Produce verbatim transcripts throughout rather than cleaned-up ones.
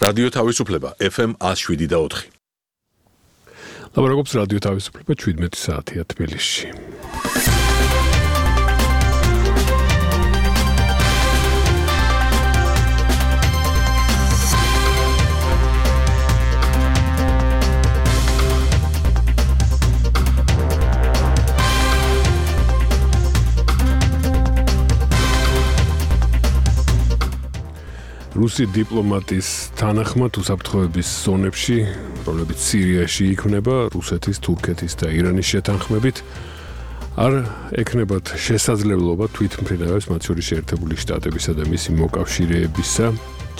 რადიო თავისუფლება F M one oh seven და four. ლაბორატორიის რადიო თავისუფლება seventeen საათია თბილისში. რუსი დიპლომატის თანახმად უსაფრთხოების ზონებში, რომლებიც სირიაში იქმნება, რუსეთის, თურქეთის და ირანის შეთანხმებით, არ ექნებათ შესაძლებლობა თვითმფრინავებს, მათ შორის შეერთებული შტატებისა და მისი მოკავშირეებისა,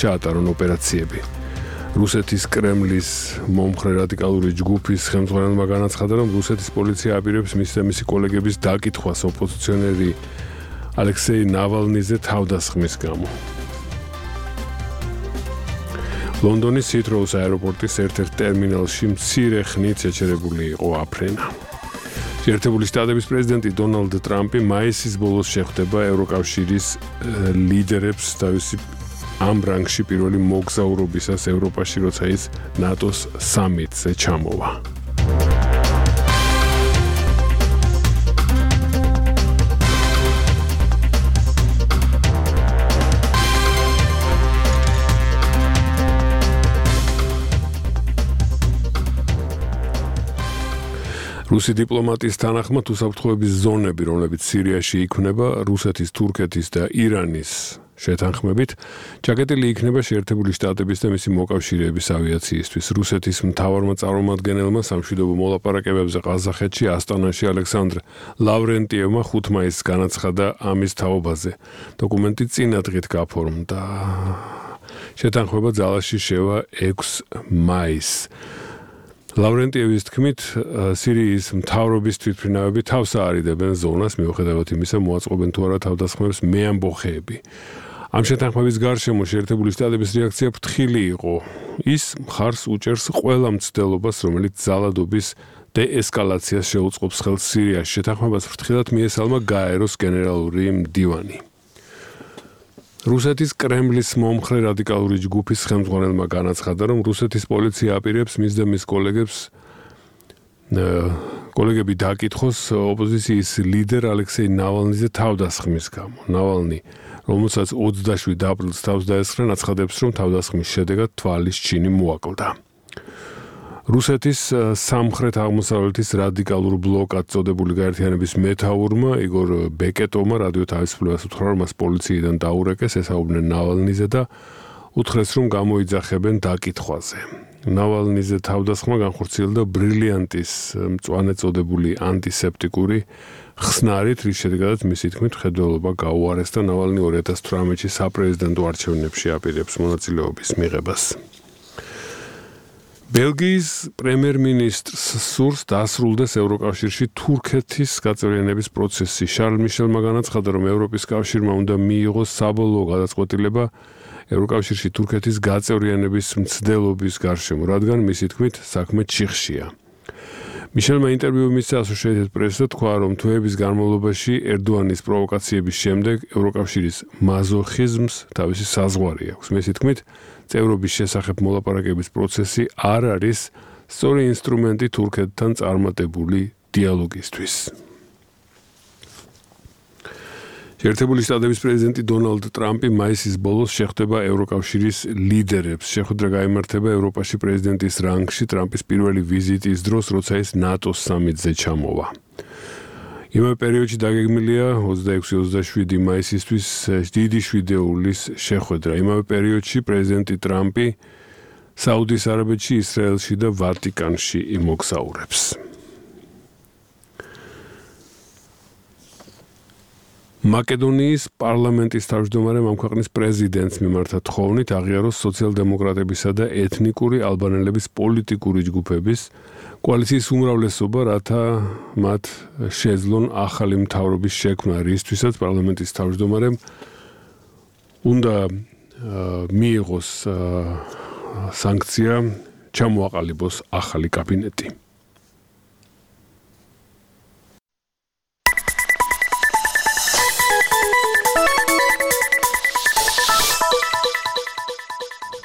ჩაატარონ ოპერაციები. რუსეთის კრემლის მომხრე რადიკალური ჯგუფის ხელმძღვანელმა განაცხადა, რომ რუსეთის პოლიცია აპირებს მის და მისი კოლეგების დაკითხვას ოპოზიციონერი ალექსეი ნავალნიზე თავდასხმის გამო. ლონდონის ჰითროუს აეროპორტის ერთ-ერთ ტერმინალში მცირე ხნით შეჩერებული იყო აფრენა. შეერთებული შტატების პრეზიდენტი დონალდ ტრამპი მაისის ბოლოს შეხვდება ევროკავშირის ლიდერებს თავისი ამ რანგში პირველი მოგზაურობისას ევროპაში, როცა ის ნატოს სამიტზე ჩამოვა. რუსი დიპლომატის თანახმად უსაფრთხოების ზონები, რომლებიც სირიაში იქმნება, რუსეთის, თურქეთის და ირანის შეთანხმებით, ჩაკეტილი იქნება შეერთებული შტატების და მისი მოკავშირეების ავიაციისთვის. რუსეთის მთავარმა წარმომადგენელმა სამშვიდობო მოლაპარაკებებზე ყაზახეთში, ასტანაში ალექსანდრ ლავრენტიევმა ხუთ მაისს განაცხადა ამის თაობაზე. დოკუმენტი წინა დღით გაფორმდა. შეთანხმება ძალაში შევა ექვსი მაისს. ლავრენტიევის თქმით, სირიის მთავრობის თვითმფრინავები თავს აარიდებენ ზონას, მიუხედავად იმისა, მოაწყობენ თუ არა თავდასხმებს მეამბოხეები. ამ შეთანხმების გარშემო შეერთებული შტატების რეაქცია ფრთხილი იყო. ის მხარს უჭერს ყველა მცდელობას, რომელიც ძალადობის დეესკალაციას შეუწყობს ხელს სირიაში. შეთანხმებას ფრთხილად მიესალმა გაეროს გენერალური მდივანი. რუსეთის კრემლის მომხრე რადიკალური ჯგუფის ხელმძღვანელმა განაცხადა, რომ რუსეთის პოლიცია აპირებს მის და მის კოლეგებს კოლეგები დაკითხოს ოპოზიციის ლიდერ ალექსეი ნავალნიზე თავდასხმის გამო. ნავალნი, რომელსაც ოცდაშვიდ აპრილს თავს დაესხა, აცხადებს, რომ თავდასხმის შედეგად თვალის ჩინი მოაკლდა. რუსეთის სამხრეთ აღმოსავლეთის რადიკალურ ბლოკად წოდებული გაერთიანების მეთაურმა იგორ ბეკეტოვმა რადიო თავისუფლებას უთხრა, რომ მას პოლიციიდან დაურეკეს, ესაუბრნენ ნავალნიზე და უთხრეს, რომ გამოიძახებენ დაკითხვაზე. ნავალნიზე თავდასხმა განხორციელდა ბრილიანტის მწვანე წოდებული ანტისეპტიკური ხსნარით, რის შედეგადაც მისი თქმით მხედველობა გაუარეს და ნავალნი ორი ათას თვრამეტში საპრეზიდენტო არჩევნებში აპირებს მონაწილეობის მიღებას. ბელგიის პრემიერ-მინისტრს სურს დასრულდეს ევროკავშირში თურქეთის გაწევრიანების პროცესი. შარლ მიშელმა განაცხადა, რომ ევროპის კავშირმა უნდა მიიღოს საბოლოო გადაწყვეტილება ევროკავშირში თურქეთის გაწევრიანების მცდელობის გარშემო, რადგან მისი თქმით საქმე ჩიხშია. მიშელმა ინტერვიუ მისცა Associated Press-ს თქვა, რომ თვეების განმავლობაში ერდოანის პროვოკაციების შემდეგ ევროკავშირის მაზოხიზმს თავისი საზღვარი აქვს. მისი თქმით, წევრობის შესახებ მოლაპარაკების პროცესი არ არის სწორი ინსტრუმენტი თურქეთთან წარმატებული დიალოგისთვის. შეერთებული შტატების პრეზიდენტი დონალდ ტრამპი მაისის ბოლოს შეხვდება ევროკავშირის ლიდერებს. შეხვედრა გაიმართება ევროპაში პრეზიდენტის რანგში ტრამპის პირველი ვიზიტის დროს, როცა ის ნატოს სამიტზე ჩამოვა. იმავე პერიოდში დაგეგმილია ოცდაექვსი ოცდაშვიდი მაისისთვის დიდი შვიდეულის შეხვედრა. იმავე პერიოდში პრეზიდენტი ტრამპი საუდის არაბეთში, ისრაელში და ვატიკანში იმოგზაურებს. მაკედონიის პარლამენტის თავმჯდომარემ ამ ქვეყნის პრეზიდენტს მიმართა თხოვნით აღიაროს სოციალ-დემოკრატებისა და ეთნიკური ალბანელების პოლიტიკური ჯგუფების კოალიციის უმრავლესობა, რათა მათ შეძლონ ახალი მთავრობის შექმნა, რისთვისაც პარლამენტის თავმჯდომარემ უნდა მიიღოს სანქცია, ჩამოაყალიბოს ახალი კაბინეტი.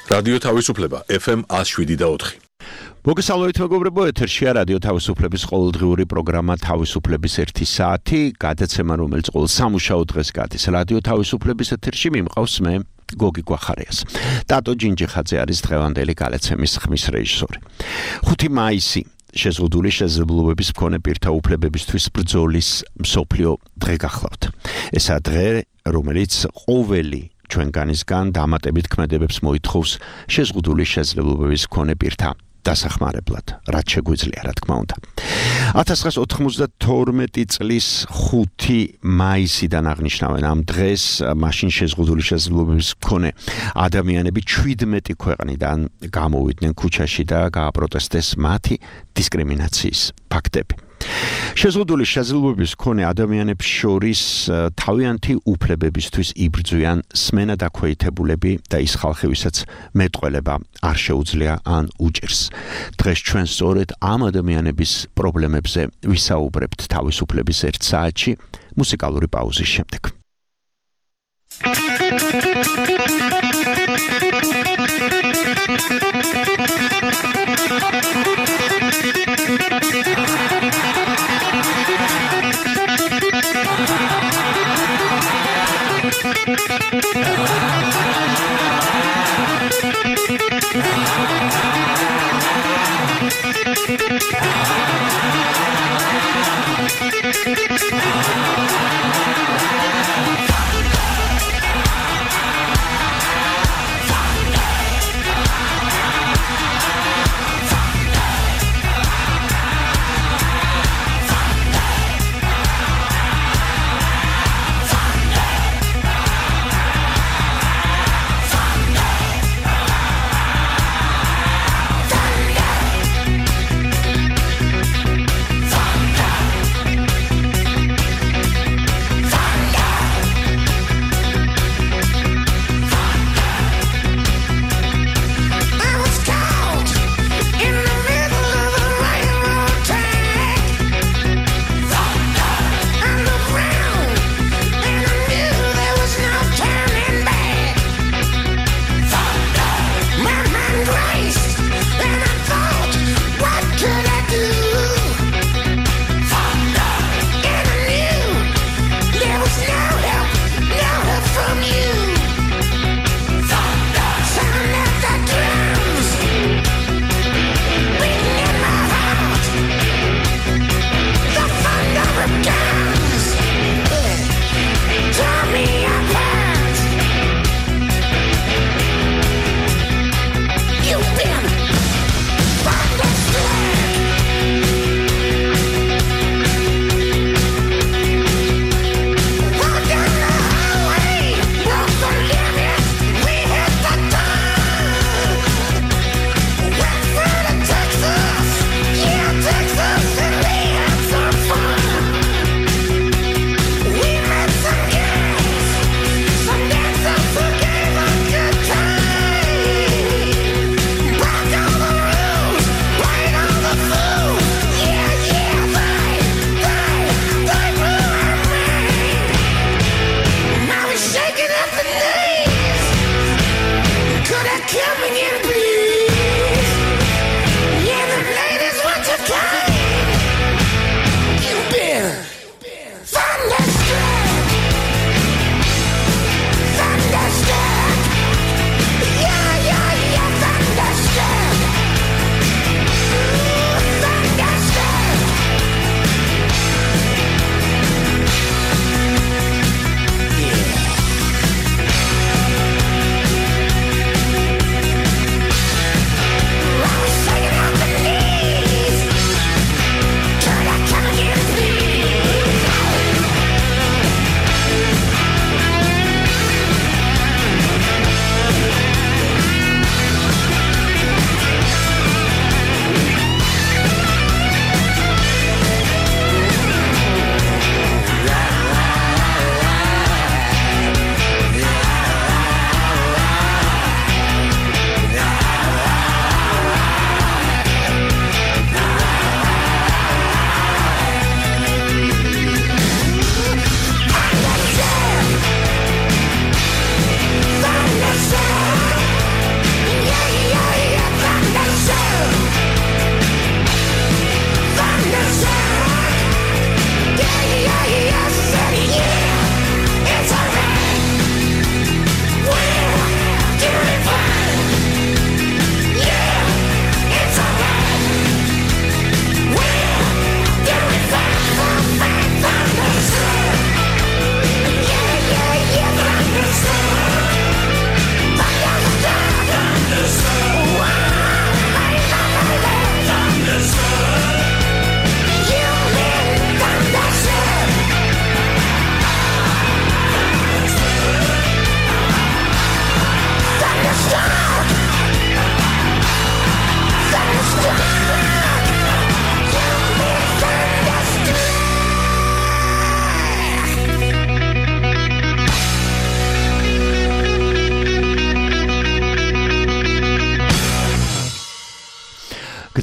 რადიო თავისუფლება ეფ ემ one oh seven და four. მოგესალმებით მეგობრებო, ეთერშია რადიო თავისუფლების ყოველდღიური პროგრამა თავისუფლების ერთი საათი, გადაცემა რომელიც ყოველ სამუშაო დღეს გადის რადიო თავისუფლების ეთერში მიმყავს მე გოგი გვახარიას. ტატო ჯინჯიხაძე არის დღევანდელი გადაცემის ხმის რეჟისორი. ხუთი მაისი შეზღუდული შესაძლებლობების მქონე პირთა უფლებებისთვის ბრძოლის მსოფლიო დღე გახლავთ. ესაა დღე, რომელიც ყოველი ჩვენგანისგან დამატებით ქმედებებს მოითხოვს შეზღუდული შესაძლებლობების მქონე პირთა დასახმარებლად, რაც შეგვიძლია, რა თქმა უნდა. ათას ცხრაასი ოთხმოცდათორმეტი წლის ხუთი მაისიდან აღნიშნავენ ამ დღეს, მაშინ შეზღუდული შესაძლებლობების მქონე ადამიანები ჩვიდმეტი ქვეყნიდან გამოვიდნენ ქუჩაში და გააპროტესტეს მათი დისკრიმინაციის ფაქტები. შეზღუდული შესაძლებლობების მქონე ადამიანებს შორის თავიანთი უფლებებისთვის იბრძვიან სმენა დაქვეითებულები და ის ხალხი, ვისაც მეტყველება არ შეუძლია ან უჭირს. დღეს ჩვენ სწორედ ამ ადამიანების პრობლემებზე ვისაუბრებთ თავისუფლების ერთ საათში მუსიკალური პაუზის შემდეგ.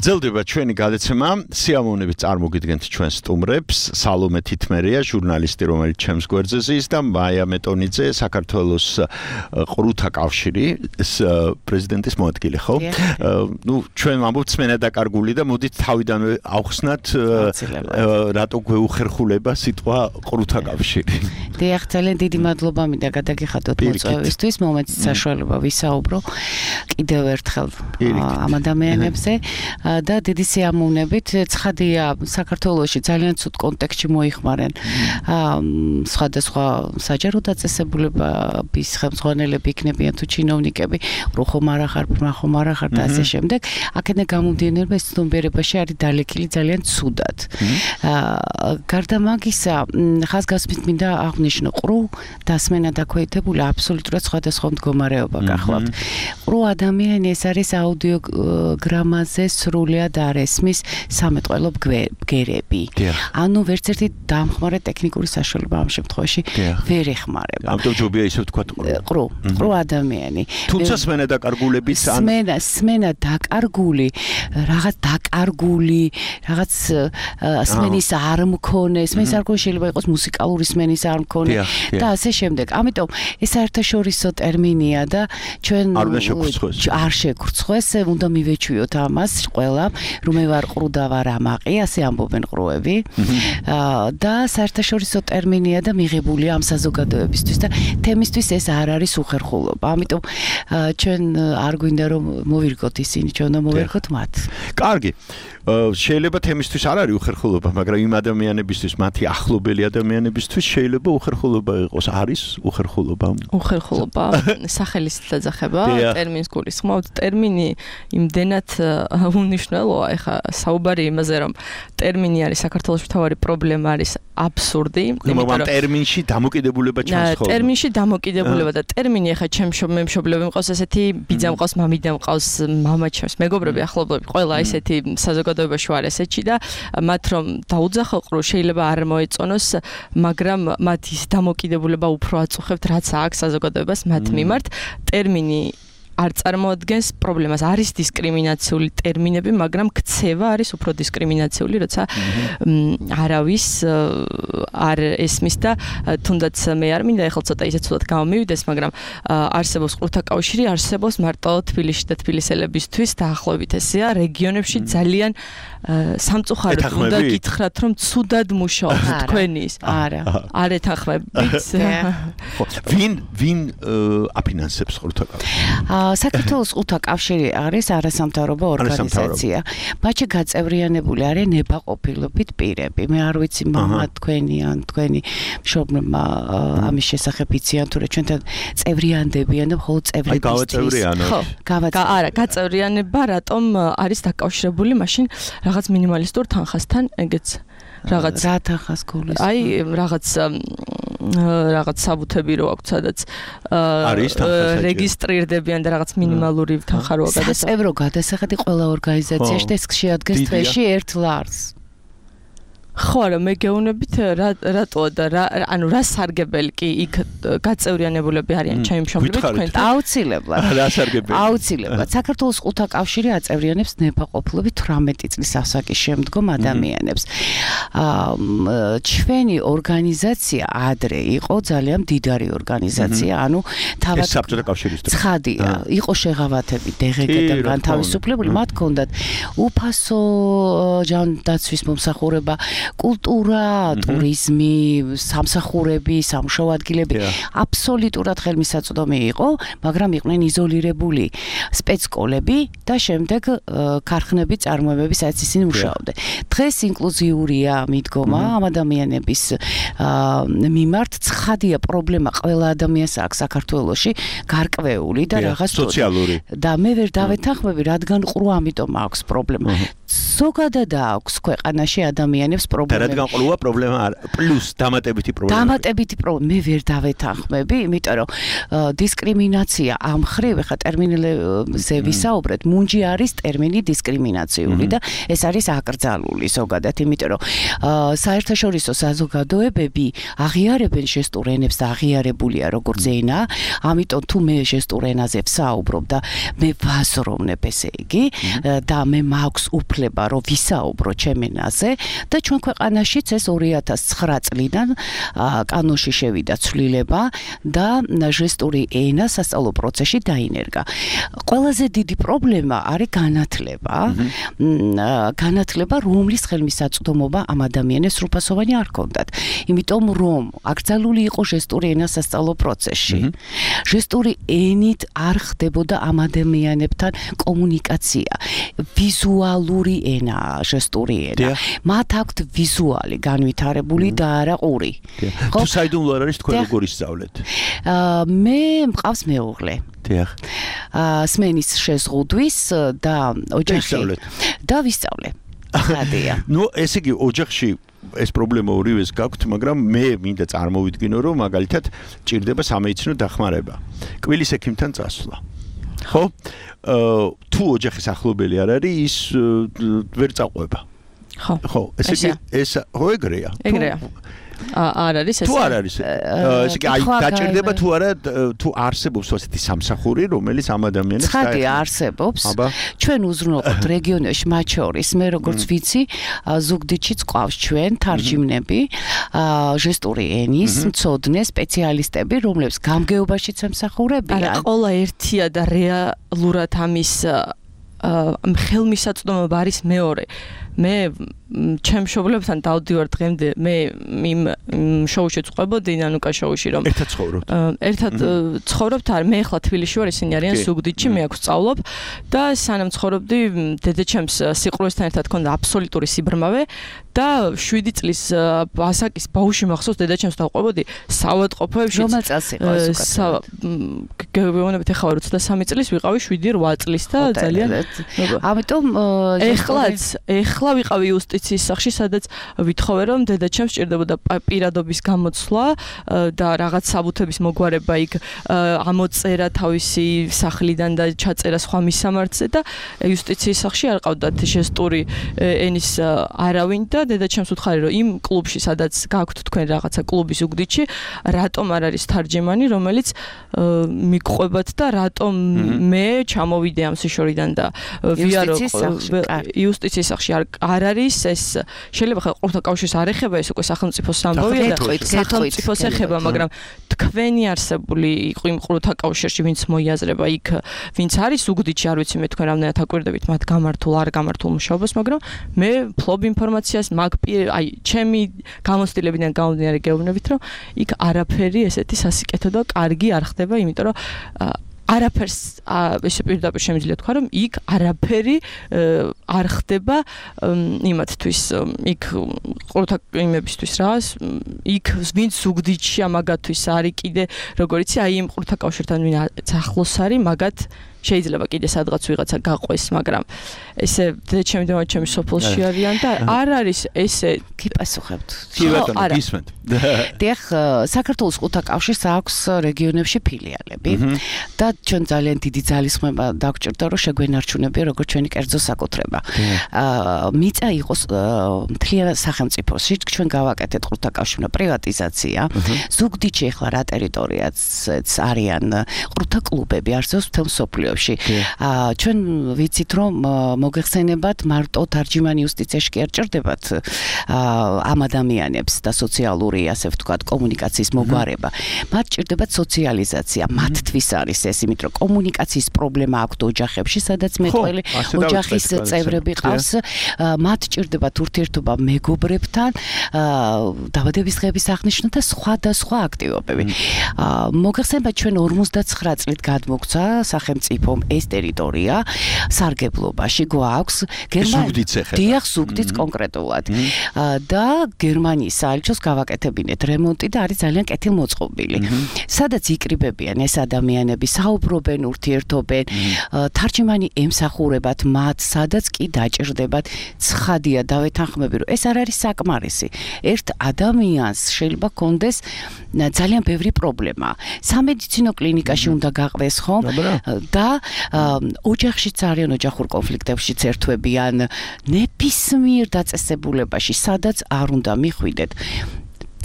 გრძელდება ჩვენი გადაცემა, სიამოვნებით წარმოგიდგენთ ჩვენ სტუმრებს, სალომე თითმერია, ჟურნალისტი, რომელიც ჩემს გვერდზე ზის და მაია მეტონიძე, საქართველოს ყრუთა კავშირის პრეზიდენტის მოადგილე, ხო? ნუ ჩვენ ვამბობთ სმენა დაკარგული და მოდით თავიდანვე ავხსნათ რატო გვეუხერხულება სიტყვა ყრუთა კავშირი. დიახ, ძალიან დიდი მადლობა მინდა გადაგიხადოთ მოწვევისთვის, მომეც საშუალება ვისაუბრო კიდევ ერთხელ ამ ადამიანებზე და დიდი სიამოვნებით ცხადია საქართველოში ძალიან ცუდ კონტექსტში მოიხმარენ სხვადასხვა საჯარო დაწესებულებების ხელმძღვანელები იქნებიან თუ ჩინოვნიკები, რო ხომ არა ხარ, ბრმა ხომ არა ხარ და ასე შემდეგ. აქედან გამომდინარე ეს ცნობიერებაში არის დალექილი ძალიან ცუდად. გარდა მაგისა, ხაზგასმით მინდა აღნიშნო, ყრუ დასმენა დაქვეითებული აბსოლუტურად სხვადასხვა მდგომარეობა გახლავთ. ყრუ ადამიანი ეს არის აუდიოგრამაზე სრულიად არ ესმის სამეტყველო ბგერები. ანუ ვერც ერთი დამხმარე ტექნიკური საშუალება ამ შემთხვევაში ვერ ეხმარება. ამიტომ ჯობია ისე ვთქვათ ყრუ, ყრუ ადამიანი. თუმცა სმენა დაკარგულების ან სმენა, სმენა დაკარგული, რაღაც დაკარგული, რაღაც სმენის არ მქონე, სმენის არ მქონე შეიძლება იყოს მუსიკალური სმენის არ მქონე და ასე შემდეგ. ამიტომ ეს საერთაშორისო ტერმინია და ჩვენ არ უნდა შეგვრცხვეს. არ შეგვრცხვეს, უნდა მივეჩვიოთ ამას ყველა, რომ მე ვარ ყრუ და ვარ ამაყი, ასე ამბობენ ყრუები. და საერთაშორისო ტერმინია და მიღებულია ამ საზოგადოებისთვის და თემისთვის ეს არ არის უხერხულობა. ამიტომ ჩვენ არ გვინდა რომ მოვირგოთ ისინი, ჩვენ უნდა მოვირგოთ მათ. კარგი. შეიძლება თემისთვის არ არის უხერხულობა, მაგრამ იმ ადამიანებისთვის, მათი ახლობელი ადამიანებისთვის შეიძლება უხერხულობა იყოს. არის უხერხულობა? უხერხულობა სახელის დაძახება, ტერმინს გულისხმობთ. ტერმინი იმდენად უნიშნელოა, ეხა საუბარი იმაზე, რომ ტერმინი არის საქართველოს მთავარი პრობლემა არის აბსურდი. მაგრამ ტერმინში დამოკიდებულება ჩანს ხოლმე. ტერმინში დამოკიდებულება და ტერმინი ეხა ჩემ მემშობლები მყავს ესეთი ბიძა მყავს, მამიდა მყავს, მამა ჩემს, მეგობრები, ახლობლები, ყველა ესეთი საზოგადოებაში ვარ ესეთში და მათ რომ დაუძახო ყრუ შეიძლება არ მოეწონოს, მაგრამ მათ ის დამოკიდებულება უფრო აწუხებთ, რაც აქვს საზოგადოებას მათ მიმართ. ტერმინი არ წარმოადგენს პრობლემას, არის დისკრიმინაციული ტერმინები, მაგრამ ქცევა არის უფრო დისკრიმინაციული, როცა არავის არ ესმის და თუნდაც მე არ მინდა ეხლა ცოტა ისე ცუდად გამომივიდეს, მაგრამ არსებობს ყრუთა კავშირი, არსებობს მარტო თბილისში და თბილისელებისთვის დაახლოებით ესეა, რეგიონებში ძალიან სამწუხაროდ უნდა გითხრათ, რომ ცუდად მუშაობს თქვენის. არა. არ ეთანხმებით. ვინ ვინ აფინანსებს ყრუთა კავშირს? საქართველოს ყრუთა კავშირი არის არასამთავრობო ორგანიზაცია. მათში გაწევრიანებული არიან ნებაყოფილობით პირები. მე არ ვიცი მამა თქვენი ან თქვენი მშობლებმა ამის შესახებ იციან თუ რა ჩვენთან წევრიანდებიან და მხოლოდ წევრებისთვის. აი გავაწევრიანოთ. ხო, არა, გაწევრიანება რატომ არის დაკავშირებული მაშინ რაღაც მინიმალისტურ თანხასთან, ეგეც რაღაც რა თანხას გულისხმობ? აი რაღაც რაღაც საბუთები რო აქვს, სადაც რეგისტრირდებიან და რაღაც მინიმალური თანხა როა გადასახადი. საწევრო გადასახადი ყველა ორგანიზაციაში და ეს შეადგენს თვეში ერთ ლარს. ხო, არა, მე გეუბნებით რატოა და რა, ანუ რა სარგებელი კი იქ გაწევრიანებულები არიან ჩემი მშობლები თქვენ? აუცილებლად. რა სარგებელი? აუცილებლად. საქართველოს ყრუთა კავშირი აწევრიანებს ნებაყოფლობით თვრამეტი წლის ასაკის შემდგომ ადამიანებს. ჩვენი ორგანიზაცია ადრე იყო ძალიან მდიდარი ორგანიზაცია, ანუ თავად საბჭოთა კავშირისთვის. ცხადია, იყო შეღავათები დეგეგედან განთავისუფლებული, მათ ჰქონდათ უფასო ჯანდაცვის მომსახურება, კულტურა, ტურიზმი, სამსახურები, სამუშაო ადგილები აბსოლუტურად ხელმისაწვდომი იყო, მაგრამ იყვნენ იზოლირებული სპეცკოლები და შემდეგ ქარხნები, წარმოებები, სადაც ისინი მუშაობდნენ. დღეს ინკლუზიურია მიდგომა ამ ადამიანების მიმართ. ცხადია პრობლემა ყველა ადამიანს აქვს საქართველოში გარკვეული და რაღაც სოციალური. და მე ვერ დავეთანხმები, რადგან ყრუ ამიტომ აქვს პრობლემა. ზოგადად აქვს ქვეყანაში ადამიანებს პრობლემები. და რადგან ყოლუა პრობლემა პლუს დამატებითი პრობლემა. დამატებითი პრობლემა მე ვერ დავეთანხმები, იმიტომ რომ დისკრიმინაცია ამ ხრივ ხა ტერმინებზე ვისაუბრეთ, მუნჯი არის ტერმინი დისკრიმინაციული და ეს არის აკრძალული ზოგადად, იმიტომ რომ საერთაშორისო საზოგადოებები აღიარებენ ჟესტურ ენებს და აღიარებულია როგორც ენა, ამიტომ თუ მე ჟესტურ ენაზე ვსაუბრობ და მე ვაზროვნებ, ესე იგი, და მე მაქვს უფლება რომ ვისაუბრო ჩემ ენაზე და ჩვენ ქვეყანაშიც ეს ორი ათას ცხრა წლიდან კანონში შევიდა ცვლილება და ჟესტური ენა სასწავლო პროცესში დაინერგა. ყველაზე დიდი პრობლემა არის განათლება. განათლება, რომლის ხელმისაწვდომობა ამ ადამიანებს სრულფასოვანი არ ჰქონდათ. იმიტომ რომ აკრძალული იყო ჟესტური ენა სასწავლო პროცესში. ჟესტური ენით არ ხდებოდა ამ ადამიანებთან კომუნიკაცია. ვიზუალური ენაა ჟესტური ენა. მათ აქვთ ვიზუალი განვითარებული და არა ყური. თუ საიდუმლო არ არის თქვენ როგორ ისწავლეთ? მე მყავს მეუღლე. დიახ. სმენის შეზღუდვის და ოჯახი და ვისწავლე. ხადია. ნუ ესე იგი ოჯახში ეს პრობლემა ორივეს გაქვთ, მაგრამ მე მინდა წარმოვიდგინო, რომ მაგალითად ჭირდება სამედიცინო დახმარება. კვილის ექიმთან წასვლა. ხო? თუ ოჯახის ახლობელი არ არის, ის ვერ წაყვება. ხო. ხო, ესე იგი ეს ხო ეგრეა. ეგრეა. არ არის ეს. თუ არ არის. ესე იგი აი დაჭირდება თუ არა თუ არსებობს ასეთი სამსახური, რომელიც ამ ადამიანებს ცხადი არსებობს. ჩვენ უზრუნველყოფთ რეგიონებში, მათ შორის მე როგორც ვიცი, ზუგდიდშიც ყავს ჩვენ თარჯიმნები, ჟესტური ენის მცოდნე სპეციალისტები, რომლებიც გამგეობაშიც ემსახურებიან. არა, ყოლა ერთია და რეალურად ამის ხელმისაწვდომობა არის მეორე. მე ჩემ მშობლებთან დავდივარ დღემდე, მე იმ შოუში წყვებოდი, ნანუკა შოუში, რომ ერთად ცხოვრობთ. ერთად ცხოვრობთ, არ მე ახლა თბილისში ვარ, ისინი არიან ზუგდიდში, მე აქ ვსწავლობ და სანამ ცხოვრობდი, დედაჩემს სიყრუესთან ერთად ჰქონდა აბსოლუტური სიბრმავე და შვიდი წლის ასაკის ბავშვი მახსოვს, დედაჩემს დავყვებოდი საავადმყოფოებში. რომელ წელს იყო ეს უკეთ? გეუბნებით ახლა ოცდასამი წლის ვიყავი შვიდი რვა წლის და ძალიან ამიტომ ეხლაც ეხლა ვიყავი იუსტიციის სახლში, სადაც ვითხოვე, რომ დედაჩემს სჭირდებოდა პირადობის გამოცვლა და რაღაც საბუთების მოგვარება იქ ამოწერა თავისი სახლიდან და ჩაწერა სხვა მისამართზე და იუსტიციის სახლში არ ყავდათ ჟესტური ენის არავინ და დედაჩემს უთხარი, რომ იმ კლუბში, სადაც გაქვთ თქვენ რაღაცა კლუბი ზუგდიდში, რატომ არ არის თარჯიმანი, რომელიც მიგყვებათ და რატომ მე ჩამოვიდე ამ სიშორიდან და ვიარო იუსტიციის სახლში არ არის ეს შეიძლება ხა ყურთა კავშირს არ ეხება ეს უკვე სახელმწიფოს ამბავია და სახელმწიფოს ეხება, მაგრამ თქვენი არსებული იყო იმ ყურთა კავშირში, ვინც მოიაზრება იქ, ვინც არის ზუგდიდში, არ ვიცი მე თქვენ რამდენად აკვირდებით მათ გამართულ არ გამართულ მუშაობას, მაგრამ მე ფლობ ინფორმაციას მაგ აი ჩემი გამოცდილებიდან გამომდინარე გეუბნებით, რომ იქ არაფერი ესეთი სასიკეთო და კარგი არ ხდება, იმიტომ რომ არაფერს ესე პირდაპირ შემიძლია თქვა, რომ იქ არაფერი არ ხდება იმათთვის, იქ ყურთა იმებისთვის რა, იქ ვინც ზუგდიდში ამაგათვის არის კიდე, როგორ იცი, აი იმ ყურთა კავშირთან ვინც ახლოს არის, მაგათ შეიძლება კიდე სადღაც ვიღაცა გაყვეს, მაგრამ ესე დედაჩემი და მაჩემი სოფელში არიან და არ არის ესე გიპასუხებთ. კი ბატონო, გისმენთ. დიახ, საქართველოს ყურთა კავშირს აქვს რეგიონებში ფილიალები და ჩვენ ძალიან დიდი ძალისხმევა დაგვჭირდა, რომ შეგვენარჩუნებია როგორც ჩვენი კერძო საკუთრება. მიწა იყოს მთლიან სახელმწიფოში, ჩვენ გავაკეთეთ ყურთა კავშირმა პრივატიზაცია. ზუგდიდში ახლა რა ტერიტორიაც არიან ყურთა კლუბები, არსებობს მთელ მსოფლიოში. ჩვენ ვიცით, რომ მოგეხსენებათ მარტო თარჯიმანი იუსტიციაში კი არ ჭირდებათ ამ ადამიანებს და სოციალური, ასე ვთქვათ, კომუნიკაციის მოგვარება. მათ ჭირდებათ სოციალიზაცია, მათთვის არის ეს, იმიტომ რომ კომუნიკაციის პრობლემა აქვთ ოჯახებში, სადაც მეტყველი ოჯახის წევრები ყავს, მათ ჭირდებათ ურთიერთობა მეგობრებთან, დაბადების დღეების აღნიშვნა და სხვა და სხვა აქტივობები. მოგეხსენებათ, ჩვენ ორმოცდაცხრა წლით გადმოგცა სახელმწიფო სახელმწიფომ ეს ტერიტორია სარგებლობაში გვაქვს გერმანიის დიახ ზუგდიც კონკრეტულად და გერმანიის საელჩოს გავაკეთებინეთ რემონტი და არის ძალიან კეთილმოწყობილი სადაც იკრიბებიან ეს ადამიანები საუბრობენ ურთიერთობენ თარჯიმანი ემსახურებათ მათ სადაც კი დაჭირდებათ ცხადია დავეთანხმები რომ ეს არ არის საკმარისი ერთ ადამიანს შეიძლება კონდეს ძალიან ბევრი პრობლემა სამედიცინო კლინიკაში უნდა გაყვეს ხომ და ოჯახშიც არიან ოჯახურ კონფლიქტებშიც ერთვებიან ნებისმიერ დაწესებულებაში სადაც არ უნდა მიხვიდეთ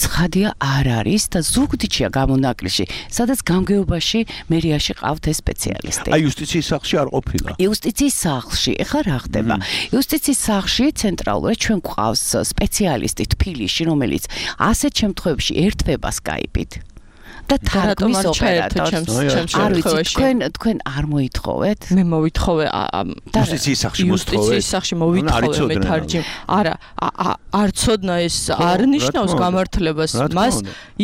ცხადია არ არის და ზუგდიდშია გამონაკლისში სადაც გამგეობაში მერიაში ყავთ ეს სპეციალისტი აი იუსტიციის სახლში არ ყოფილა იუსტიციის სახლში ეხლა რა ხდება იუსტიციის სახლში ცენტრალურად ჩვენ გვყავს სპეციალისტი თბილისში რომელიც ასეთ შემთხვევებში ერთვება სკაიპით და თარგმნის ოპერატორს არ ვიცი თქვენ თქვენ არ მოითხოვეთ მე მოვითხოვე იუსტიციის სახლში მოსთხოვე იუსტიციის სახლში მოვითხოვე მე თარჯიმ არა არ ცოდნა ეს არ ნიშნავს გამართლებას მას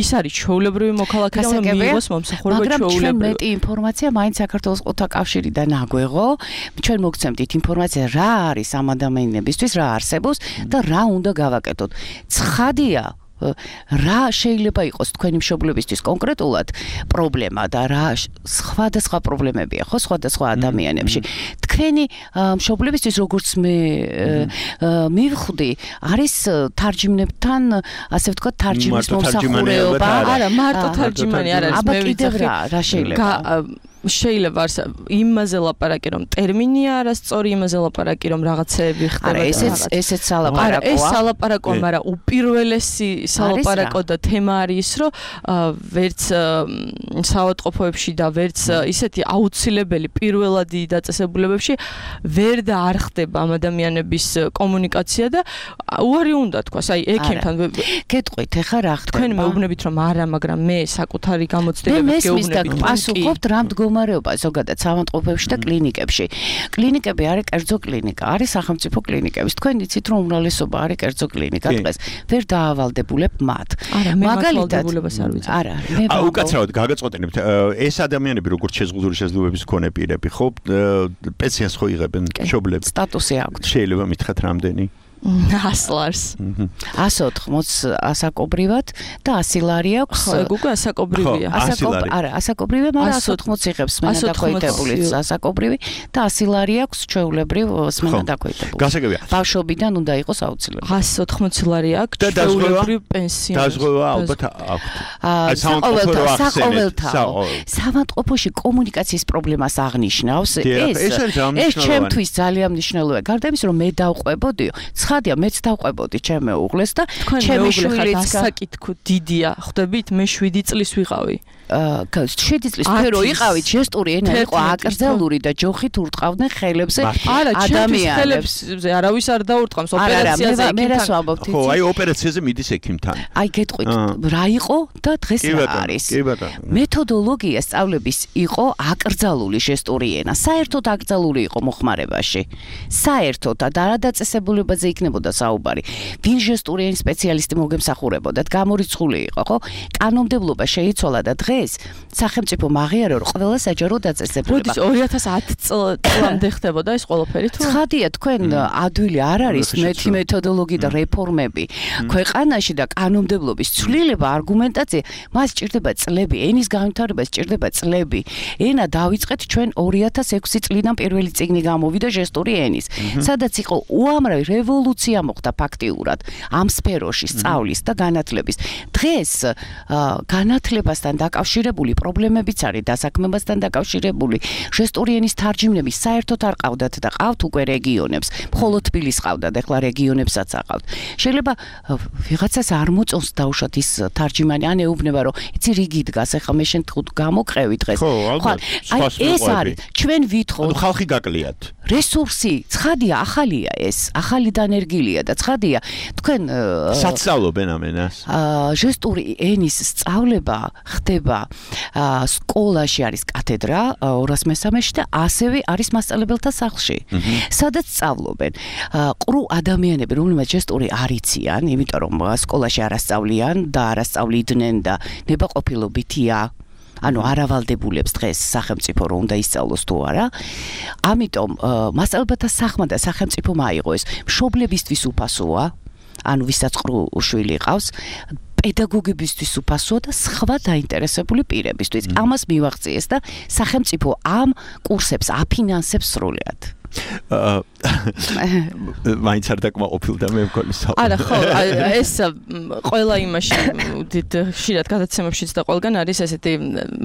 ის არის ჩვეულებრივი მოქალაქე და მიიღოს მომსახურება ჩვეულებრივი მაგრამ ჩვენ მეტი ინფორმაცია მაინც საქართველოს ყოთა კავშირიდან აგვეღო ჩვენ მოგცემდით ინფორმაცია რა არის ამ ადამიანებისთვის რა არსებობს და რა უნდა გავაკეთოთ ცხადია რა შეიძლება იყოს თქვენი მშობლებისთვის კონკრეტულად პრობლემა და რა სხვადასხვა პრობლემებია ხო სხვადასხვა ადამიანებში თქვენი მშობლებისთვის როგორც მე მივხვდი არის თარჯიმნებთან ასე ვთქვათ თარჯიმის მომსახურება არა მარტო თარჯიმანი არ არის მე ვიცი რა შეიძლება შეიძლება იმაზე ლაპარაკი რომ ტერმინია არასწორი იმაზე ლაპარაკი რომ რაღაცეები ხდება არა ესეც ესეც სალაპარაკოა არა ეს სალაპარაკოა მაგრამ უპირველესი სალაპარაკო და თემა არის რომ ვერც საავადმყოფოებში და ვერც ისეთი აუცილებელი პირველადი დაწესებულებებში ვერ და არ ხდება ამ ადამიანების კომუნიკაცია და უარი უნდა თქვას აი ექიმთან გეტყვით ეხა რა ხდება თქვენ მეუბნებით რომ არა მაგრამ მე საკუთარი გამოცდილებით გეუბნებით პასუხობთ რა მდგომარეობა ზოგადად საავადმყოფოებში და კლინიკებში კლინიკები არის კერძო კლინიკა არის სახელმწიფო კლინიკები თქვენ იცით რომ უმრავლესობა არის კერძო კლინიკა დღეს ვერ დაავალდებულებ მათ მაგალითად არა მე უკაცრავად გაგაწყვეტინებთ ეს ადამიანები როგორც შეზღუდული შესაძლებლობების მქონე პირები ხო პენსიას ხო იღებენ მშობლები სტატუსი აქვთ შეიძლება მითხრათ რამდენი ასლარს ასი ოთხმოც ასაკობრივად და ასი ლარი აქვს ხო ეგ უკვე ასაკობრივია ასაკობრივი არა ასაკობრივი მაგრამ ასი ოთხმოც იღებს სმენა დაქვეითებული ასაკობრივი და ასი ლარი აქვს ჩვეულებრივ სმენა დაქვეითებული გასაგებია ბავშვობიდან უნდა იყოს აუცილებლად ასი ოთხმოც ლარი აქვს ჩვეულებრივ პენსია დაზღვევა ალბათ აქვთ საყოველთაო საავადმყოფოში კომუნიკაციის პრობლემას აღნიშნავს ეს ეს ჩემთვის ძალიან მნიშვნელოვანია გარდა იმისა რომ მე დავყვებოდიო ცხადია მეც დავყვებოდი ჩემე უღლეს და ჩემი შვილიც გასაკითხო დიდია ხვდებით მე შვიდი წლის ვიყავი აა შვიდი წლის ფერო იყავით ჟესტური ენა იყო აკრძალული და ჯოხით ურტყავდნენ ხელებზე ადამიანებს არავის არ დაურტყავს ოპერაციაზე მე რას ვამბობთ ხო აი ოპერაციაზე მიდის ექიმთან აი გეტყვით რა იყო და დღეს რა არის მეთოდოლოგია სწავლების იყო აკრძალული ჟესტური ენა საერთოდ აკრძალული იყო მოხმარებაში საერთოდ და რა დაწესებულებაზე იქნებოდა საუბარი ვინ ჟესტური ენის სპეციალისტი მოგემსახურებოდათ გამორიცხული იყო ხო კანონმდებლობა შეიცვალა და დღეს სახელმწიფო მაღიარა რომ ყველა საჯარო დაწესებულება როდის ორი ათას ათი წლამდე ხდებოდა ეს ყველაფერი თუ ცხადია თქვენ ადვილი არ არის მეთი მეთოდოლოგია და რეფორმები ქვეყანაში და კანონმდებლობის ცვლილება არგუმენტაცია მას სჭირდება წლები ენის განვითარება სჭირდება წლები ენა დავიწყეთ ჩვენ ორი ათას ექვსი წლიდან პირველი წიგნი გამოვიდა ჟესტური ენის სადაც იყო უამრავი რევოლუცია მოხდა ფაქტიურად ამ სფეროში სწავლის და განათლების დღეს განათლებასთან დაკავშირებული პრობლემებიც არის დასაქმებასთან დაკავშირებული ჟესტური ენის თარჯიმნები საერთოდ არ ყავდათ და ყავთ უკვე რეგიონებს მხოლოდ თბილისს ყავდათ ეხლა რეგიონებსაც აყავთ შეიძლება ვიღაცას არ მოწონს დაუშვათ ის თარჯიმანი ან ეუბნება რომ იცი რიგი დგას ეხლა მე შენ გამოყევი დღეს ხო ალბათ აი ეს არის ჩვენ ვითხოვთ ხალხი გაკლიათ რესურსი ცხადია ახალია ეს ახალი დანერგილია და ცხადია თქვენ საცავლობენ ამ ენას აა ჟესტური ენის სწავლება ხდება სკოლაში არის კათედრა ორას მესამეში და ასევე არის მასწავლებელთა სახლში სადაც სწავლობენ ყრუ ადამიანები რომლებიც ჟესტური არ იციან იმიტომ რომ სკოლაში არ ასწავლიან და არ ასწავლიდნენ და ნებაყოფილობითია ანუ არავალდებულებს დღეს სახელმწიფო რომ უნდა ისწავლოს თუ არა. ამიტომ მასწავლებელთა სახმა და სახელმწიფომ აიღო ეს მშობლებისთვის უფასოა, ანუ ვისაც ყრუ შვილი ყავს, პედაგოგებისთვის უფასოა და სხვა დაინტერესებული პირებისთვის. ამას მივაღწიეს და სახელმწიფო ამ კურსებს აფინანსებს სრულად. აა მაინც არ დაკმაყოფილდა მე მგონი საუბარი. არა ხო, ეს ყველა იმაში დიდ ხშირად გადაცემებშიც და ყველგან არის ესეთი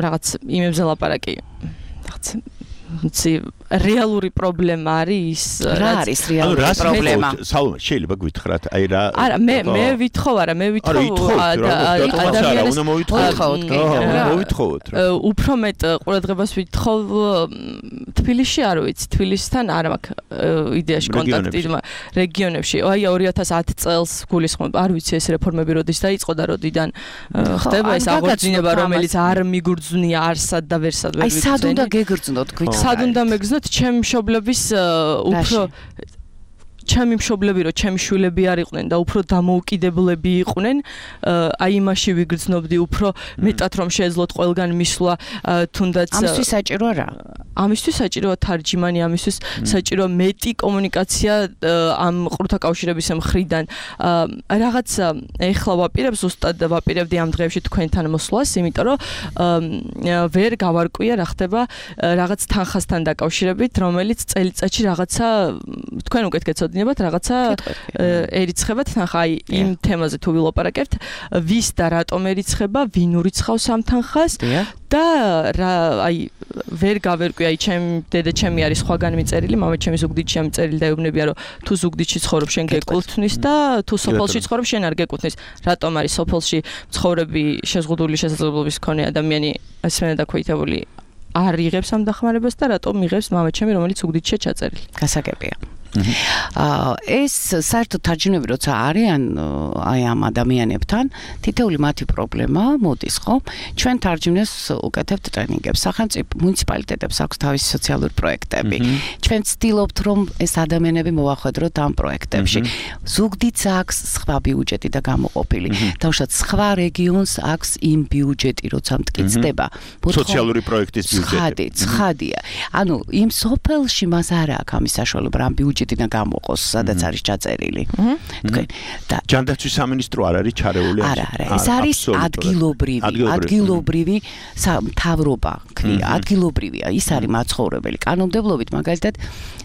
რაღაც იმებზე ლაპარაკი. რაღაც ცი რეალური პრობლემა არის რა არის რეალური პრობლემა? სალომე, შეიძლება გვითხრათ, აი რა არა, მე მე ვითხოვ, არა, მე ვითხოვ ადამიანს უნდა მოვითხოვოთ. მოვითხოვოთ რა. უფრო მეტ ყურადღებას ვითხოვ თბილისში, არ ვიცი, თბილისთან არ მაქვს იდეაში კონტაქტი რეგიონებში. აი ორი ათას ათი წელს გულისხმობ, არ ვიცი ეს რეფორმები როდის დაიწყო და როდიდან ხდება ეს აღორძინება, რომელიც არ მიგურძნია არსად და ვერსად ვერ ვიცი. აი სად უნდა გეგრძნოთ, გვითხრათ? სად უნდა მეგრძნოთ ჩემი მშობლების უფრო ჩემი მშობლები რო ჩემი შვილები არ იყვნენ და უფრო დამოუკიდებლები იყვნენ, აი იმაში ვიგრძნობდი უფრო მეტად რომ შეეძლოთ ყველგან მისვლა თუნდაც ამისთვის საჭირო რა? ამისთვის საჭიროა თარჯიმანი, ამისთვის საჭირო მეტი კომუნიკაცია ამ ყრუთა კავშირების მხრიდან. რაღაც ეხლა ვაპირებ ზუსტად ვაპირებდი ამ დღეებში თქვენთან მოსვლას, იმიტომ რომ ვერ გავარკვია რა ხდება რაღაც თანხასთან დაკავშირებით, რომელიც წელიწადში რაღაცა თქვენ უკეთ გეცოდინებათ, რაღაცა ერიცხებათ თანხა, აი იმ თემაზე თუ ვილაპარაკებთ, ვის და რატომ ერიცხება, ვინ ურიცხავს ამ თანხას და რა აი ვერ გავერკვი, აი ჩემ დედა ჩემი არის სხვაგან მიწერილი, მამა ჩემი ზუგდიდში მიწერილი და ეუბნებია რომ თუ ზუგდიდში ცხოვრობ შენ გეკუთვნის და თუ სოფელში ცხოვრობ შენ არ გეკუთვნის. რატომ არის სოფელში მცხოვრები შეზღუდული შესაძლებლობის მქონე ადამიანი ესმენა დაქვეითებული არ იღებს ამ დახმარებას და რატომ იღებს მამა ჩემი, რომელიც ზუგდიდშია ჩაწერილი? გასაგებია. აა ეს საერთოდ თარჯიმნები როცა არიან აი ამ ადამიანებთან, თითოეული მათი პრობლემა მოდის, ხო? ჩვენ თარჯიმნებს უკეთებთ ტრენინგებს, სახელმწიფო მუნიციპალიტეტებს აქვს თავისი სოციალური პროექტები. ჩვენ ვცდილობთ რომ ეს ადამიანები მოვახვედროთ ამ პროექტებში. ზუგდიდს აქვს სხვა ბიუჯეტი და გამოყოფილი. თავშად სხვა რეგიონს აქვს იმ ბიუჯეტი, როცა მტკიცდება. სოციალური პროექტის ბიუჯეტი. ცხადია. ანუ იმ სოფელში მას არ აქვს ამის საშუალება ამ ბიუჯეტი და გამოყოს, სადაც არის ჩაწერილი. თქვენ და ჯანდაცვის სამინისტრო არ არის ჩარეული? არა, არა, ეს არის ადგილობრივი, ადგილობრივი მთავრობა, ქვია, ადგილობრივია. ის არის მაცხოვრებელი. კანონმდებლობით მაგალითად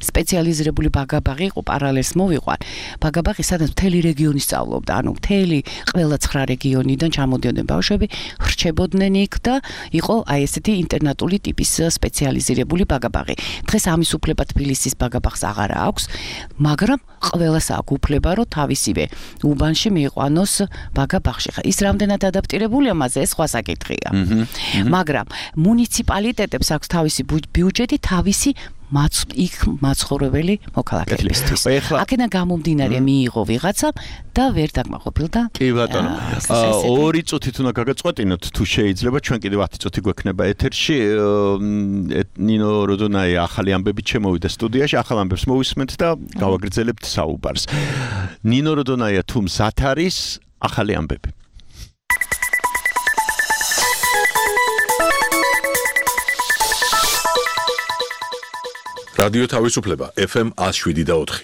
სპეციალიზირებული ბაგაბაღი იყო, პარალელს მოვიყვან. ბაგაბაღი სადაც მთელი რეგიონი სწავლობდა, ანუ მთელი ყველა ცხრა რეგიონიდან ჩამოდიოდნენ ბავშვები, ხრჩებოდნენ იქ და იყო აი ესეთი ინტერნატული ტიპის სპეციალიზირებული ბაგაბაღი. დღეს ამის უფლება თბილისის ბაგაბაღს აღარ აქვს, მაგრამ ყველას აქვს უფლება, რომ თავისივე უბანში მიიყვანოს ბაგაბაღში. ის რამდენად ადაპტირებულია მასზე, ეს სხვა საკითხია. მაგრამ მუნიციპალიტეტებს აქვს თავისი ბიუჯეტი, თავისი მაც იქ მაცხოვრებელი მოქალაქეებისთვის. აქედან გამომდინარე მიიღო ვიღაცა და ვერ დაკმაყოფილდა. კი ბატონო. ორი წუთით უნდა გაგაწყვეტინოთ თუ შეიძლება, ჩვენ კიდევ ათი წუთი გვექნება ეთერში. ნინო როდონაი ახალი ამბებით შემოვიდა სტუდიაში, ახალ ამბებს მოვისმენთ და გავაგრძელებთ საუბარს. ნინო როდონაია თუ მზად არის ახალი ამბები. რადიო თავისუფლება ეფ ემ one oh seven და ოთხი.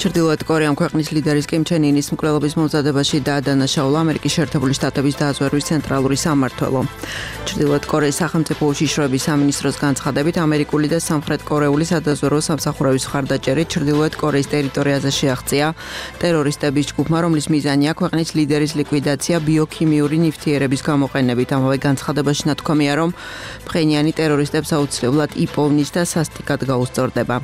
ჩრდილოეთ კორეამ ქვეყნის ლიდერის კიმ ჩენ ინის მკვლელობის მომზადებაში დაადანაშაულა ამერიკის შეერთებული შტატების დაზვერვის ცენტრალური სამმართველო. ჩრდილოეთ კორეის სახელმწიფო უშიშროების სამინისტროს განცხადებით, ამერიკული და სამხრეთ კორეული სადაზვერვო სამსახურების მხარდაჭერით ჩრდილოეთ კორეის ტერიტორიაზე შეაღწია ტერორისტების ჯგუფმა, რომლის მიზანია ქვეყნის ლიდერის ლიკვიდაცია ბიოქიმიური ნივთიერების გამოყენებით. ამავე განცხადებაში ნათქვამია, რომ ფხენიანი ტერორისტებს აუცილებლად იპოვნის და სასტიკად გაუსწორდება.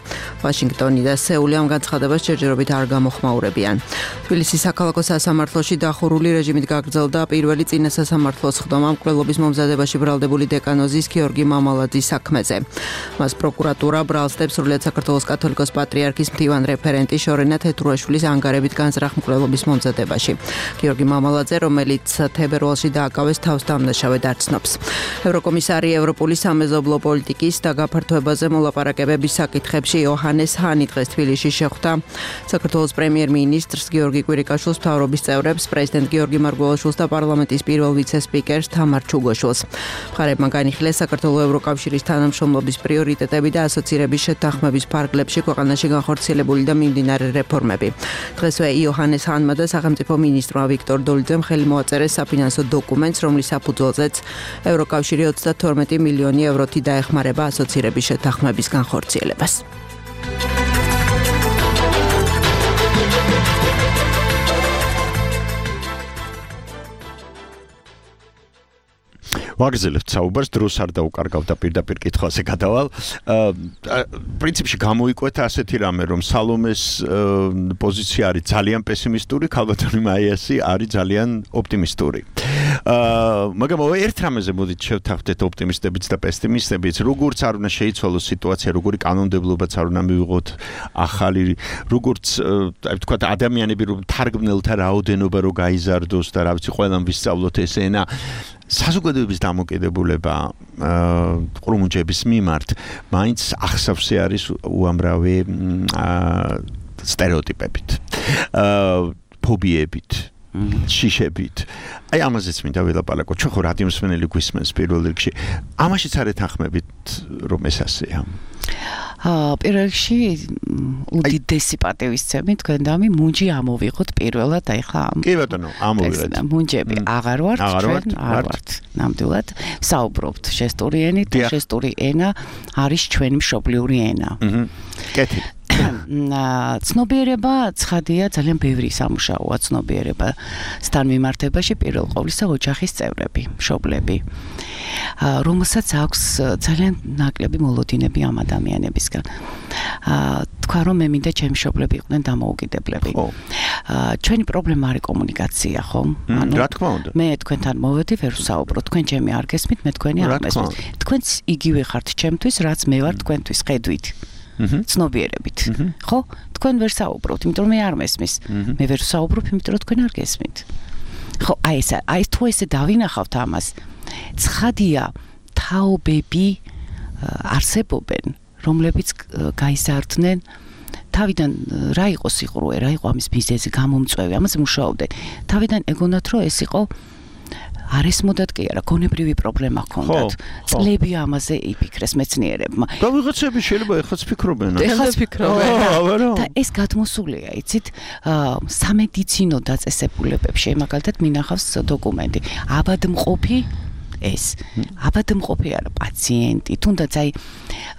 ვაშინგტონი და სეული ამ განცხადებას ჯერჯერობით არ გამოხმაურებიან. თბილისის საქალაქო სასამართლოში დახურული რეჟიმით გაგრძელდა პირველი წინა სასამართლოს ხდომა მკვლელობის მომზადებაში ბრალდებული დეკანოზის გიორგი მამალაძის საქმეზე. მას პროკურატურა ბრალსდებს სრულიად საქართველოს კათოლიკოს პატრიარქის მდივან რეფერენტი შორენა თეთრუაშვილის ანგარებით განზრახ მკვლელობის მომზადებაში. გიორგი მამალაძე, რომელიც თებერვალში დააკავეს თავს დამნაშავედ არ ცნობს. ევროკომისარი ევროპული სამეზობლო პოლიტიკის და გაფართოებაზე მოლაპარაკებების საკითხებში იოჰანეს ჰანი დღეს თბილისში შეხვდა საქართველოს პრემიერ-მინისტრს გიორგი კვირიკაშვილს, მთავრობის წევრებს, პრეზიდენტ გიორგი მარგველაშვილს და პარლამენტის პირველ ვიცე-სპიკერს თამარ ჩუგოშვილს. მხარეებმა განიხილეს საქართველოს ევროკავშირის თანამშრომლობის პრიორიტეტები და ასოცირების შეთანხმების ფარგლებში ქვეყანაში განხორციელებული და მიმდინარე რეფორმები. დღესვე იოჰანეს ჰანმა და სახელმწიფო მინისტრმა ვიქტორ დოლიძემ ხელი მოაწერეს საფინანსო დოკუმენტს, რომლის საფუძველზეც ევროკავშირი ოცდათორმეტი მილიონი ევროთი დაეხმარება ასოცირების შეთანხმების განხორციელებას. ვაგრძელებთ საუბარს, დროს არ დაუკარგავ და პირდაპირ კითხვაზე გადავალ. პრინციპში გამოიკვეთა ასეთი რამე, რომ სალომეს პოზიცია არის ძალიან პესიმისტური, ქალბატონი მაიასი არის ძალიან ოპტიმისტური. მაგრამ ერთ რამეზე მოდით შევთანხმდეთ ოპტიმისტებიც და პესიმისტებიც, როგორც არ უნდა შეიცვალოს სიტუაცია, როგორი კანონმდებლობაც არ უნდა მივიღოთ ახალი, როგორც აი ვთქვათ ადამიანები რომ თარგმნელთა რაოდენობა რო გაიზარდოს და რა ვიცი, ყველამ ვისწავლოთ ეს ენა. საზოგადოების დამოკიდებულება ყრუმუნჯების მიმართ მაინც ახსავსე არის უამრავი სტერეოტიპებით, ფობიებით, შიშებით. აი ამაზეც მინდა ვილაპარაკო. ჩვენ ხო რადიო მსმენელი გვისმენს პირველ რიგში. ამაშიც არ ეთანხმებით რომ ეს ასეა. აა პირველ რიგში უდიდესი პატივისცემი თქვენდამი მუნჯი ამოვიღოთ პირველად, აი ხა კი ბატონო, ამოვიღეთ. მუნჯები აღარ ვართ, ჩვენ არ ვართ. ნამდვილად საუბრობთ ჟესტური ენით, ჟესტური ენა არის ჩვენი მშობლიური ენა. აჰა. კეთილი. ცნობიერება ცხადია, ძალიან ბევრი სამუშაოა ცნობიერებასთან მიმართებაში, პირველ ყოვლისა ოჯახის წევრები, მშობლები, რომელსაც აქვს ძალიან ნაკლები მოლოდინები ამ ადამიანებისგან. თქვა რომ მე მინდა ჩემი მშობლები იყვნენ დამოუკიდებლები. ჩვენი პრობლემა არის კომუნიკაცია, ხო? რა თქმა უნდა. მე თქვენთან მოვედი, ვერ ვსაუბრობ, თქვენ ჩემი არ გესმით, მე თქვენი არ მესმის. თქვენც იგივე ხართ ჩემთვის, რაც მე ვარ თქვენთვის, ხედვით. ცნობიერებით. ხო? თქვენ ვერ საუბრობთ, იმიტომ რომ მე არ მესმის. მე ვერ საუბრობ, იმიტომ რომ თქვენ არ გესმით. ხო, აი ეს აი თუ ესე დავინახავთ ამას. ცხადია, თაობები არსებობენ, რომლებიც გაიზარდნენ თავიდან რა იყო სიყრუე, რა იყო ამის მიზეზი, გამომწვევი, ამაზე მუშაობდნენ. თავიდან ეგონათ რომ ეს იყო არ ესმოდათ კი არა, გონებრივი პრობლემა ჰქონდათ. წლები ამაზე იფიქრეს მეცნიერებმა. და ვიღაცები შეიძლება ეხლაც ფიქრობენ. ეხლაც ფიქრობენ. და ეს გადმოსულია, იცით, სამედიცინო დაწესებულებებში, მაგალითად მინახავს დოკუმენტი. აბადმყოფი ეს აბადმყოფი არა პაციენტი, თუნდაც აი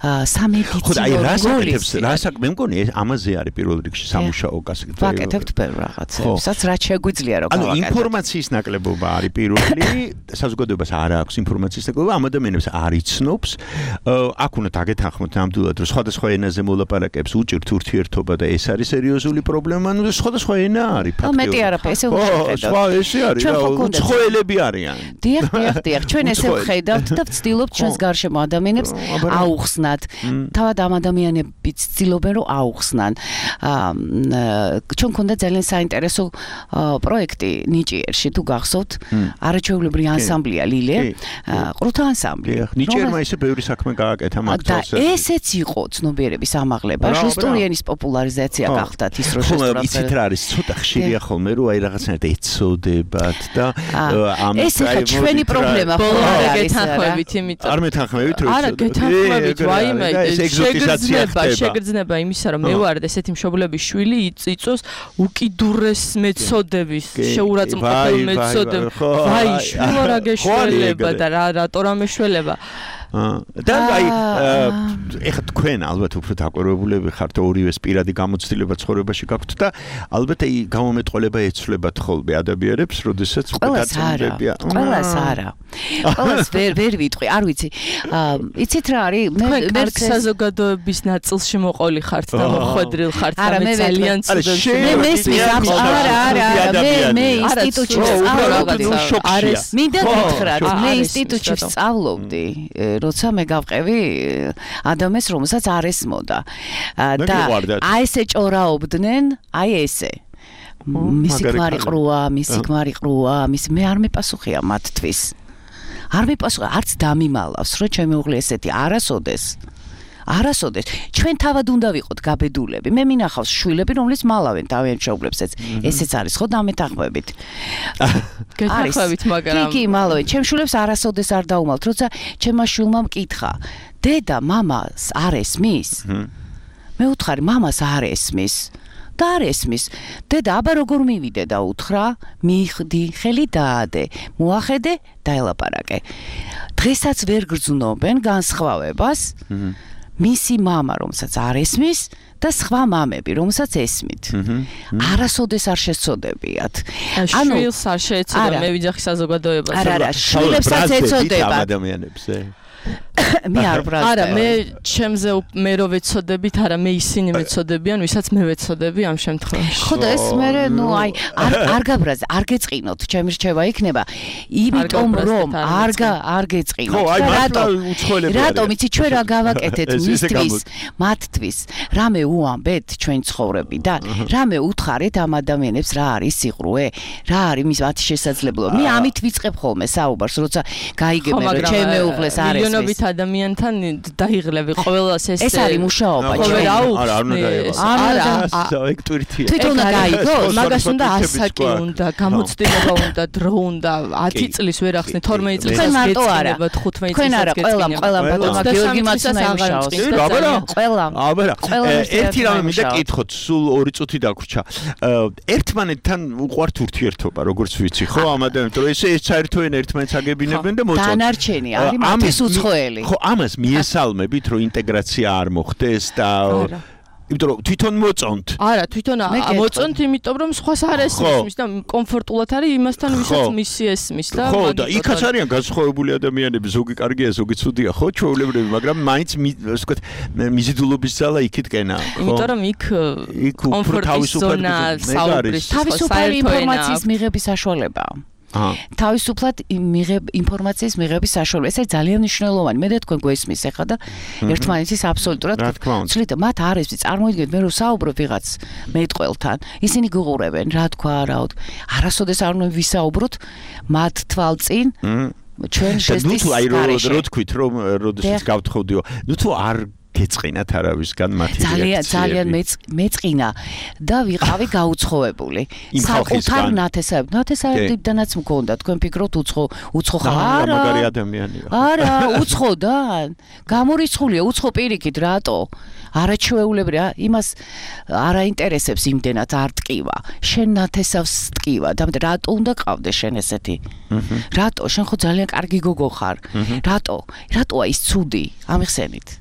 სამედიცინო ხო, აი რასაკეთებს, რასაკ მე მგონი ამაზე არის პირველ რიგში სამუშაო გასაგებია. ვაკეთებთ ბევრ რაღაცებს, რაც შეგვიძლია რომ გავაკეთოთ. ანუ ინფორმაციის ნაკლებობა არის პირველი, საზოგადოებას არ აქვს ინფორმაციის ნაკლებობა, ამ ადამიანებს არ იცნობს. აქ უნდა დაგეთანხმოთ ნამდვილად, რომ სხვადასხვა ენაზე მოლაპარაკებს უჭირთ ურთიერთობა და ეს არის სერიოზული პრობლემა, ანუ სხვადასხვა ენა არის ფაქტიურად. ხო, მეტი არაფერი, ესე ვხედავთ. სხვა ესე არის, უცხოელები არიან. დიახ, დიახ, დიახ. ჩვენ ესე ვხედავთ და ვცდილობთ ჩვენს გარშემო ადამიანებს აუხსნათ. თავად ამ ადამიანებიც ცდილობენ რომ აუხსნან. ჩვენ გქონდა ძალიან საინტერესო პროექტი ნიჭიერში, თუ გახსოვთ, არაჩვეულებრივი ანსამბლია ლილე, ყრუთა ანსამბლი. ნიჭიერმა ისე ბევრი საქმე გააკეთა მაგ დროს. და ესეც იყო ცნობიერების ამაღლება, ჟესტური ენის პოპულარიზაცია გახდათ ის რო ჟესტური. იცით რა არის, ცოტა ხშირია ხოლმე რომ აი რაღაცნაირად ეცოდებათ და ამ ეს იყო ჩვენი პრობლემა. გეთანხმებით, იმიტომ არ მეთანხმებით რომ არა, გეთანხმებით, ვაიმე, შეგრძნება, შეგრძნება იმისა, რომ მე ვარ ესეთი მშობლების შვილი, იწოს უკიდურეს მეცოდების, შეურაცხმყოფელ მეცოდებს. ვაი, შვილო რა გეშველება და რა რატო რა მეშველება. და აი ეხლა თქვენ ალბათ უფრო დაკვირვებულები ხართ, ორივეს პირადი გამოცდილება ცხოვრებაში გაქვთ და ალბათ აი გამომეტყოლება ეცვლებათ ხოლმე ადამიანებს, როდესაც დაწინდებია. ყველას არა. ყველას ვერ ვერ ვიტყვი, არ ვიცი. იცით რა არის? მე მე საზოგადოების ნაწილში მოყოლი ხართ და მოხვედრილ ხართ და მე ძალიან ცუდად. მე მესმის ამ არა არა მე მე ინსტიტუტში ვსწავლობდი. მინდა გითხრათ, მე ინსტიტუტში ვსწავლობდი. როცა მე გავყევი ადამიანს, რომელსაც არ ესმოდა. და აი ესე ჭორაობდნენ, აი ესე. მისი ქმარი ყრუა, მისი ქმარი ყრუა, მის მე არ მეპასუხია მათთვის. არ მეპასუხა, არც დამიმალავს, რომ ჩემი უღლი ესეთი არასოდეს. არასოდეს ჩვენ თავად უნდა ვიყოთ გაბედულები. მე მინახავს შვილები, რომლის მალავენ თავიანთ მშობლებსაც. ესეც არის ხო დამეთანხმებით. გეთანხმებით, მაგრამ კი, კი, მალავენ. ჩემ შვილებს არასოდეს არ დაუმალთ, როცა ჩემმა შვილმა მკითხა. დედა, მამას არ ესმის? მე უთხარი, მამას არ ესმის. და არ ესმის. დედა, აბა როგორ მივიდე და უთხრა, მიხდი, ხელი დაადე, მოახედე, დაელაპარაკე. დღესაც ვერ გრძნობენ განსხვავებას. მისი მამა, რომელსაც არ ესმის და სხვა მამები, რომელსაც ესმით. არასოდეს არ შეცოდებიათ. ანუ შვილს არ შეეცოდა, მე ვიძახი საზოგადოებას. არა, არა, შვილებსაც ეცოდება. ადამიანებს, ე მე არ ბრაზდები. არა, მე ჩემზე მე რო ვეცოდებით, არა, მე ისინი მეცოდებიან, ვისაც მე ვეცოდები ამ შემთხვევაში. ხო და ეს მე ნუ აი არ არ გაბრაზ, არ გეწყინოთ, ჩემი რჩევა იქნება, იმიტომ რომ არ არ გეწყინოთ. ხო, აი მართლა უცხოელები არიან. რატომ იცი ჩვენ რა გავაკეთეთ მისთვის, მათთვის, რამე უამბეთ ჩვენ ცხოვრებიდან, რამე უთხარეთ ამ ადამიანებს რა არის სიყრუე, რა არის მის მათი შესაძლებლობა. მე ამით ვიწყებ ხოლმე საუბარს, როცა გაიგებენ რომ ჩემ მეუღლეს არის მილიონობით ადამიანთან დაიღლები ყოველას ეს ეს არის მუშაობა ჩვენ არა არ უნდა დაიღოს არა ეგ ტვირთია თვითონ გაიგოს მაგას უნდა ასაკი უნდა გამოცდილება უნდა დრო უნდა ათი წლის ვერ ახსნი თორმეტი წლის გეცნება თხუთმეტი წლის არა ყველამ ყველამ ბატონმა გიორგი მაცუნა იმუშაოს აბარა ყველამ აბარა ერთი რამე მინდა კითხოთ სულ ორი წუთი დაგვრჩა ერთმანეთთან უყვართ ურთიერთობა როგორც ვიცი ხო ამ ადამიანებს რომ ესე ეს საერთოდ ერთმანეთს აგებინებენ და მოწონთ დანარჩენი არის მათთვის უცხოელი ხო ამას მიესალმებით რომ ინტეგრაცია არ მოხდეს და იმიტომ რომ თვითონ მოწონთ არა თვითონ მოწონთ იმიტომ რომ სხვას არ ესმის და კომფორტულად არის იმასთან ვისაც მისი ესმის და ხო და იქაც არიან განსხვავებული ადამიანები ზოგი კარგია ზოგი ცუდია ხო ჩვეულებრივი მაგრამ მაინც ასე ვთქვათ მიზიდულობის ძალა იქითკენაა ხო იმიტომ რომ იქ კომფორტის ზონა საუბრის თავისუფალი ინფორმაციის მიღების საშუალებაა თავისუფლად მიღებ ინფორმაციის მიღების საშუალება. ეს არის ძალიან მნიშვნელოვანი. მე და თქვენ გვესმის ახლა და ერთმანეთის აბსოლუტურად ცლით მათ არ ესმის. წარმოიდგინეთ მე რომ საუბრობ ვიღაც მეტყველთან. ისინი გუღურებენ, რა თქვა, რაოდ. არასოდეს არ უნდა ვისაუბროთ მათ თვალწინ. ჩვენ შეესწრებით. ნუ თუ აი რო თქვით რომ როდესაც გავთხოვდიო. ნუ თუ არ გეწყინათ არავისგან მათი ძალიან ძალიან მეწყინა და ვიყავი გაუცხოებული საკუთარ ნათესავებ ნათესავებიდანაც მქონდა თქვენ ფიქრობთ უცხო უცხო ხარ არა მაგარი ადამიანია არა უცხოდან გამორიცხულია უცხო პირიქით რატო არაჩვეულებრივია იმას არაინტერესებს იმდენად არ ტკივა შენ ნათესავს ტკივა და რატო უნდა ყავდეს შენ ესეთი რატო შენ ხო ძალიან კარგი გოგო ხარ რატო რატოა ის ცუდი ამიხსენით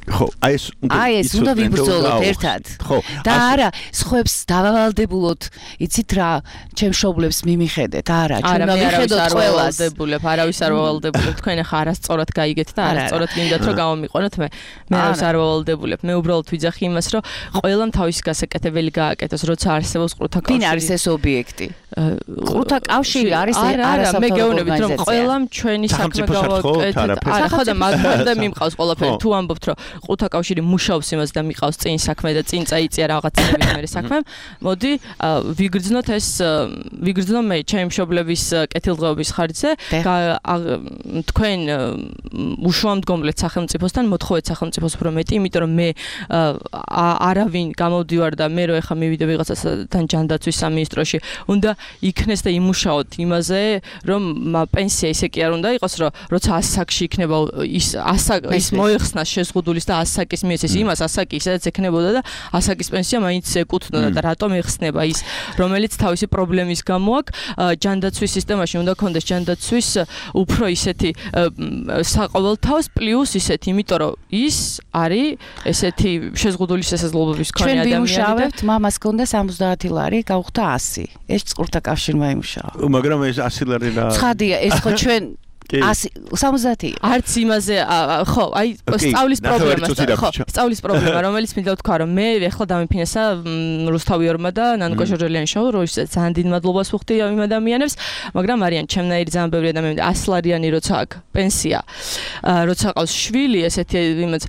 ხო, აი ეს უნდა აი ეს უნდა ვიბრძოლოთ ერთად. ხო. და არა, სხვებს დავავალდებულოთ, იცით რა, ჩემ შობლებს მიმიხედეთ, არა, ჩვენ მივიხედოთ ყველას. არავის არავის არ ვავალდებულებ, თქვენ ახლა არასწორად გაიგეთ და არასწორად გინდათ რომ გამომიყვანოთ მე. მე არავის არ ვავალდებულებ. მე უბრალოდ ვიძახი იმას, რომ ყველამ თავისი გასაკეთებელი გააკეთოს, როცა არსებობს ყრუთა კავშირი. ვინ არის ეს ობიექტი? ყრუთა კავშირი არის არასაფრთხო მე გეუბნებით რომ ყველამ ჩვენი საქმე გავაკეთეთ. არა, ხო და მაგამდე მიმყავს ყველაფერი. თუ ამბობთ რომ ყრუთა კავშირი მუშაობს იმას და მიყავს წინ საქმე და წინ წაიწია რაღაცების მერე საქმემ. მოდი ვიგრძნოთ ეს ვიგრძნო მე ჩემი მშობლების კეთილდღეობის ხარჯზე თქვენ უშუალომდგომლეთ სახელმწიფოსთან მოთხოვეთ სახელმწიფოს უფრო მეტი, იმიტომ რომ მე არავინ გამოვდივარ და მე რო ეხა მივიდე ვიღაცასთან ჯანდაცვის სამინისტროში უნდა იქნეს და იმუშაოთ იმაზე რომ პენსია ისე კი არ უნდა იყოს რომ როცა ასაკში იქნება ის ასაკ ის მოიხსნა შეზღუდულის და ასაკის მიეცეს იმას ასაკი ისედაც ექნებოდა და ასაკის პენსია მაინც ეკუთვნოდა და რატომ ეხსნება ის რომელიც თავისი პრობლემის გამო აქვს ჯანდაცვის სისტემაში უნდა კონდეს ჯანდაცვის უფრო ისეთი საყოველთაოს პლუს ისეთი იმიტომ რომ ის არის ესეთი შეზღუდული შესაძლებლობის მქონე ადამიანი და ჩვენ ვიმუშავებთ მამას ჰქონდა სამოცდაათი ლარი გავხდა ასი ეს ყრუთა კავშირმა იმუშავა მაგრამ ეს ასი ლარი რა ცხადია ეს ხო ჩვენ ასი სამოცდაათი არც იმაზე ხო აი სწავლის პრობლემა ხო სწავლის პრობლემა რომელიც მინდა ვთქვა რომ მე ეხლა დამიფინანსა რუსთავიორმა და ნანუკა ჟორჟელიანის შოუ რომ ძალიან დიდ მადლობას ვუხდი იმ ადამიანებს მაგრამ არიან ჩემნაირი ძალიან ბევრი ადამიანი ასლარიანი როცა აქვს პენსია როცა ყავს შვილი ესეთი იმაც